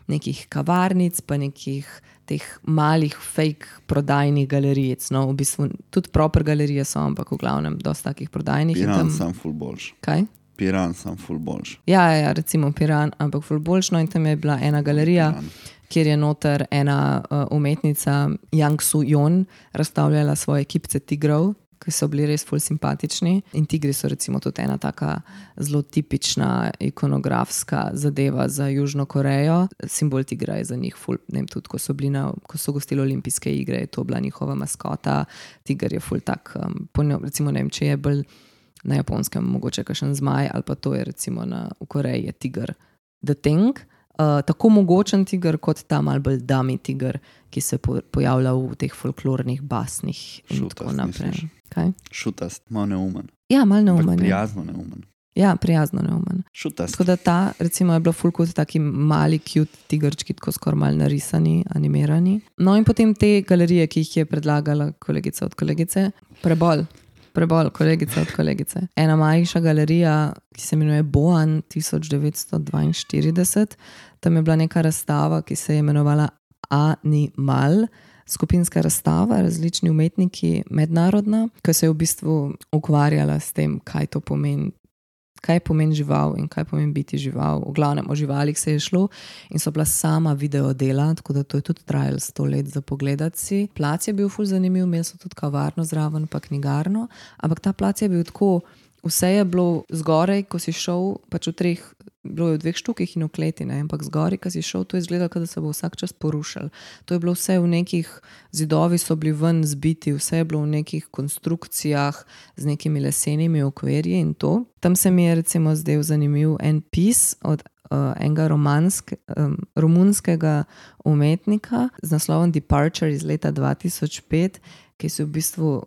nekih kavarnic, pa nekih teh malih fake prodajnih galerijic. No, v bistvu tudi proper galerije so, ampak v glavnem dosti takih prodajnih. Piran sam ful boljš. Kaj? Piran sam ful boljš. Ja, recimo Piran, ampak ful boljš. No in tam je bila ena galerija, kjer je noter ena umetnica Yang Soo-yeon razstavljala svoje kipce tigrov, ki so bili res ful simpatični. In tigri so recimo tudi ena taka zelo tipična ikonografska zadeva za Južno Korejo. Simbol tigra je za njih ful, ne vem, tudi ko so gostili olimpijske igre, je to bila njihova maskota. Tiger je ful tak, recimo ne vem, če je bolj na Japonskem mogoče kakšen zmaj, ali pa to je recimo v Koreji je tiger the thing. Tako mogočen tiger kot ta malo bolj dummy tiger, ki se pojavlja v teh folklornih basnih in Šutast, tako naprej. misliš? Kaj? Šutast, malo neumen. Ja, malo neumen. Prijazno neumen. Ja, prijazno neumen. Šutast. Tako da ta recimo je bila ful kot taki mali cute tigrčki, tako skoraj malo narisani, animirani. No in potem te galerije, ki jih je predlagala kolegica od kolegice, Prebol, kolegica od kolegice. Ena manjša galerija, ki se imenuje Boan 1942. Tam je bila neka razstava, ki se je imenovala Animal, skupinska razstava, različni umetniki, mednarodna, ki se je v bistvu ukvarjala s tem, kaj to pomeni, kaj pomeni žival in kaj pomeni biti žival. V glavnem o živalih se je šlo in so bila sama video dela, tako da to je tudi trajalo 100 let za pogledati si. Plac je bil ful zanimiv, imeli so tudi kavarno zraven, pa knjigarno, ampak ta plac je bil tako, vse je bilo zgoraj, ko si šel, pač bilo je v 2 štukih in v kleti, ne? Ampak zgoraj, ko si šel, to je izgledalo, da se bo vsak čas porušil. To je bilo vse v nekih, zidovi so bili ven zbiti, vse je bilo v nekih konstrukcijah z nekimi lesenimi okvirji in to. Tam se mi je recimo zdel zanimiv en pis od enega romunskega umetnika z naslovom Departure iz leta 2005, ki se v bistvu,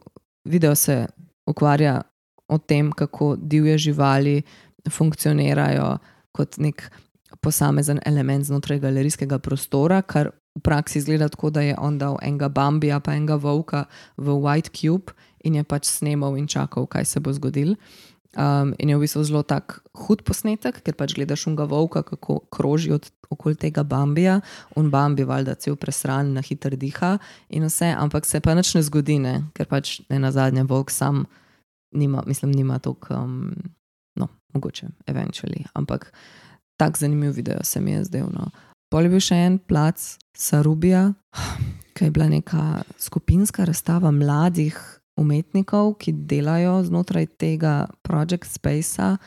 video se ukvarja o tem, kako divje živali funkcionirajo kot nek posamezen element znotraj galerijskega prostora, kar v praksi izgleda tako, da je on dal enega bambija pa enega volka v white cube in je pač snemal in čakal, kaj se bo zgodil. In je v bistvu zelo tak hud posnetek, ker pač gledaš unga volka, kako kroži okoli tega bambija, un bambi valjda cel presran, na hiter diha in vse, ampak se pa nič ne zgodi, ne? Ker pač ne nazadnje volk sam nima toliko, mogoče, eventually, ampak tak zanimiv video se mi je zdel, no. Pol je bil še en plac Sarubija, ki je bila neka skupinska razstava mladih umetnikov, ki delajo znotraj tega Project Spacea,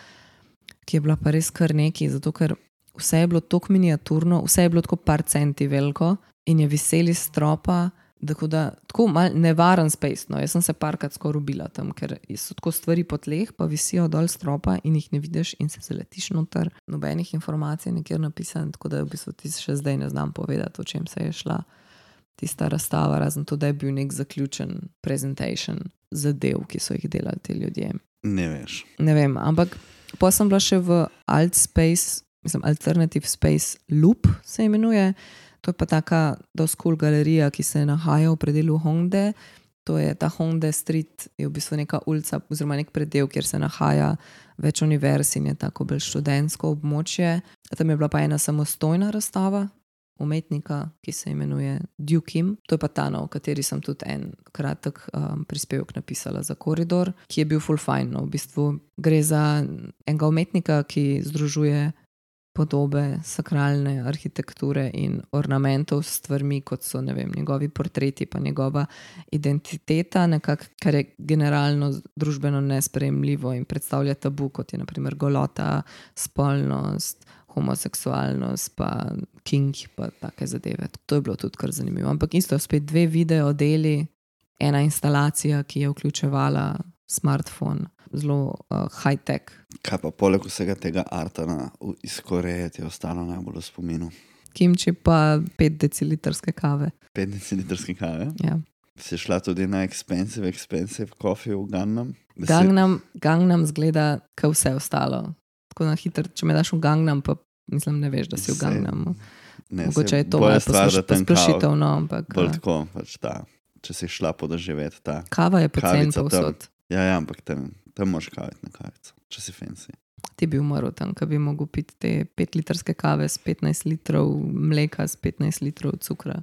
ki je bila pa res kar neki, zato ker vse je bilo tako miniaturno, vse je bilo tako par centi veliko in je viseli stropa, tako mal nevaren space, no. Jaz sem se parkrat skoraj ubila tam, ker so tako stvari po tleh, pa visijo dol stropa in jih ne vidiš in se zaletiš noter. Nobenih informacij nekjer napisan, tako da v bistvu ti še zdaj ne znam povedati, o čem se je šla tista razstava, razen to, da je bil nek zaključen presentation zadev, ki so jih delali ti ljudje. Ne veš. Ne vem, ampak pa sem bila še v Alternative Space Loop se imenuje. To je pa taka dosti cool galerija, ki se nahaja v predelu Hongdae. To je ta Hongdae Street, je v bistvu neka ulica oziroma nek predel, kjer se nahaja več univerz in je tako bolj študentsko območje. Tam je bila pa ena samostojna razstava umetnika, ki se imenuje Dew Kim. To je pa ta, v kateri sem tudi en kratek prispevek napisala za Koridor, ki je bil full fine. No. V bistvu gre za enega umetnika, ki združuje podobe sakralne arhitekture in ornamentov s stvarmi, kot so, ne vem, njegovi portreti, pa njegova identiteta, nekako, kar je generalno družbeno nesprejemljivo in predstavlja tabu, kot je na primer golota, spolnost, homoseksualnost, pa king, pa take zadeve. To je bilo tudi kar zanimivo. Ampak isto, spet 2 video deli, ena instalacija, ki je vključevala smartphone, zelo high-tech. Kaj pa poleg vsega tega arta iz Koreje ti je ostalo najbolj v spominu? Kimči pa 5 decilitrske kave. 5 decilitrske kave? Ja. Si šla tudi na expensive coffee v Gangnam? Gangnam zgleda, kot vse ostalo. Tako na hitro, če me daš v Gangnam, pa mislim, ne veš, da si v Gangnamu. Mogoče je to malo posplošitev, no, ampak... Bolj tako, pač ta, če si šla podoživeti ta... Kava je pocen povsod. Ja, ampak tam moraš kaviti na kavico, če si fancy. Ti bi umrl tam, ko bi mogel piti te 5-litrske kave s 15 litrov mleka, s 15 litrov cukra.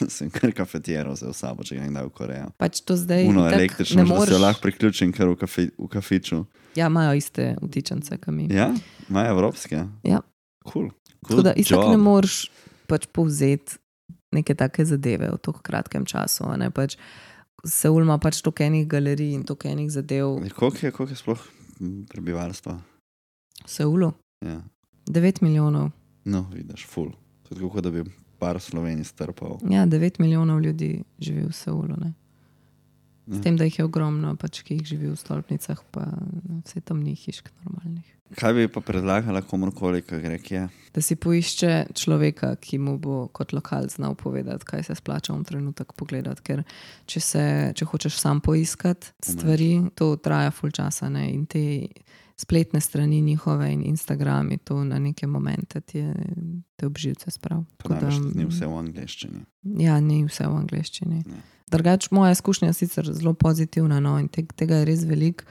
Sem kar kafetiero vzel v sabo, če ga nekdaj v Korejo. Pač to zdaj Uno električno, da se jo lahko priključim kar v kafiču. Ja, imajo iste vtičence, kot mi. Ja? Imajo evropske? Ja. Cool. Tako da isto ne moreš pač povzeti neke take zadeve v toliko kratkem času. Ne? Pač Seul ima pač toliko enih galerij in toliko enih zadev. Koliko je sploh prebivalstva? V Seulu? Ja. 9 milijonov. No, vidiš, ful. To je tako, da bi par Slovenij strpal. Ja, 9 milijonov ljudi živi v Seulu, ne? S tem, da jih je ogromno, pač, ki jih živi v stolpnicah, pa vse tam ni hišk normalnih. Kaj bi pa predlagala komorkoli, ki gre kje? Da si poišče človeka, ki mu bo kot lokal znal povedati, kaj se splača v trenutek pogledati, ker če hočeš sam poiskati stvari, to traja ful časa, ne? In te spletne strani njihove in Instagrami, to na neke momente te obživce sprav. Pa največ ni vse v angleščini. Ja, ni vse v angleščini. Drugač, moja izkušnja je sicer zelo pozitivna, no, in tega je res veliko,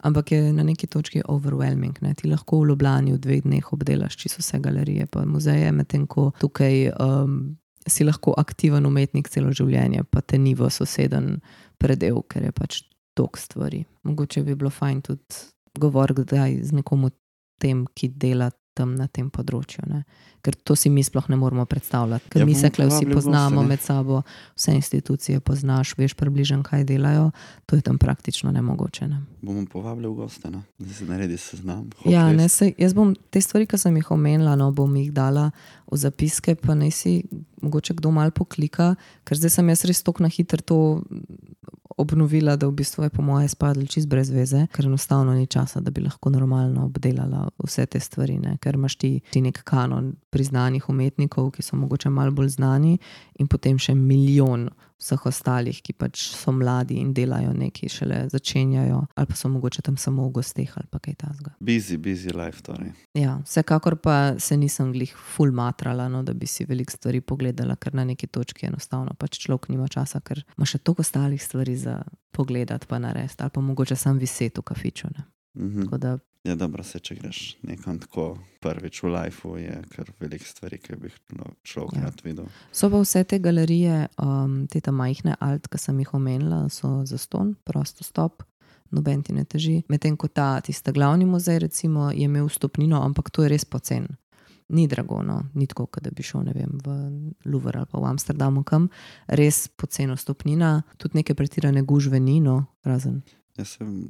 ampak je na neki točki overwhelming. Ne? Ti lahko v Ljubljani v 2 dneh obdelaš čisto vse galerije, pa muzeje, medtem ko tukaj si lahko aktiven umetnik celo življenje, pa te ni v soseden predel, ker je pač toliko stvari. Mogoče bi bilo fajn tudi govoriti kdaj z nekom o tem, ki dela tam na tem področju, ne? Ker to si mi sploh ne moramo predstavljati, ker mi se vsi poznamo med sabo, vse institucije poznaš, veš približno, kaj delajo, to je tam praktično nemogoče. Ne? Bomo povabili v goste, ne? Da se naredi seznam. Ja, ne, jaz bom te stvari, ki sem jih omenila, no, bom jih dala v zapiske, pa naj si mogoče kdo malo poklika, ker zdaj sem jaz res toliko na hitro to obnovila, da v bistvu je po moje spadlo čist brez veze, ker enostavno ni časa, da bi lahko normalno obdelala vse te stvari, ne? Ker imaš ti nek kanon priznanih umetnikov, ki so mogoče malo bolj znani, in potem še milijon vseh ostalih, ki pač so mladi in delajo nekaj, šele začenjajo, ali pa so mogoče tam samo v gosteh ali pa kaj tasga. Busy life, torej. Ja, vsekakor pa se nisem glih ful matrala, no, da bi si veliko stvari pogledala, ker na neki točki enostavno pač človek nima časa, ker ima še toliko ostalih stvari za pogledati pa narediti, ali pa mogoče sam viseti v kafiču. Tako da ja, dobro, če greš nekam tako prvič v lifeu, je kar veliko stvari, ki bi človek rad videl. So pa vse te galerije, te majhne alt, ki sem jih omenila, so zastonj, prosto stop, noben ti ne teži. Medtem ko tista glavni muzej, recimo, je imel vstopnino, ampak to je res pocen. Ni drago, no, ni tako, da bi šel, ne vem, v Louvre ali pa v Amsterdamu kam. Res poceno vstopnina, tudi neke pretirane gužve ni, no, razen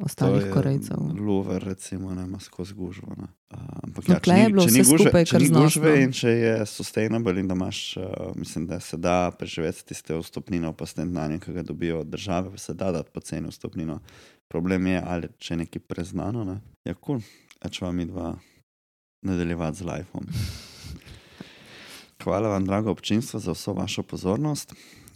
ostalih Korejcev. Louvre, recimo, nema skozi gužvo. Ampak ja, če ni gužve in če je sustainable in da imaš, mislim, da se da preživeti tiste vstopnino pa s tem denarjem, ki ga dobijo od države, pa se da dati poceni vstopnino. Problem je, ali če je nekaj preznano, ne? Ja, cool. A če vam midva nadaljevati z lifeom. Hvala vam, drago občinstvo, za vso vašo pozornost.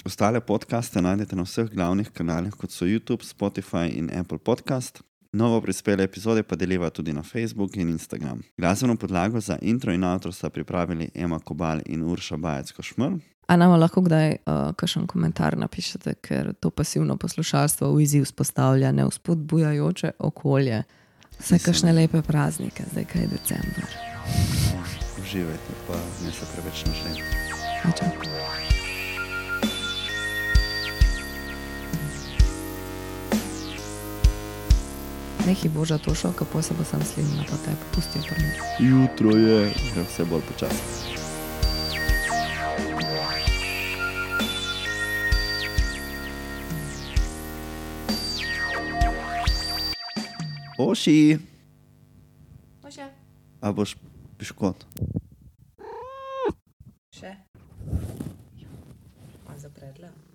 Ostale podcaste najdete na vseh glavnih kanalih, kot so YouTube, Spotify in Apple Podcast. Novo prispele epizode pa deliva tudi na Facebook in Instagram. Glasbeno podlago za intro in outro sta pripravili Ema Kobal in Urša Bajec-Košmr. A nama lahko kdaj kakšen komentar napišete, ker to pasivno poslušalstvo v izziv vzpostavlja nevzpodbujajoče okolje. Vse kakšne lepe praznike, zdaj kaj je december. Uživajte, pa ne se preveč nažrem. Čau. Nekaj boža to šel, kako se bo sam slim na to tebe pustil prvi. Jutro je, gre vse bolj počasno. Oši! Oši! A boš piškot? Še? On zapredla.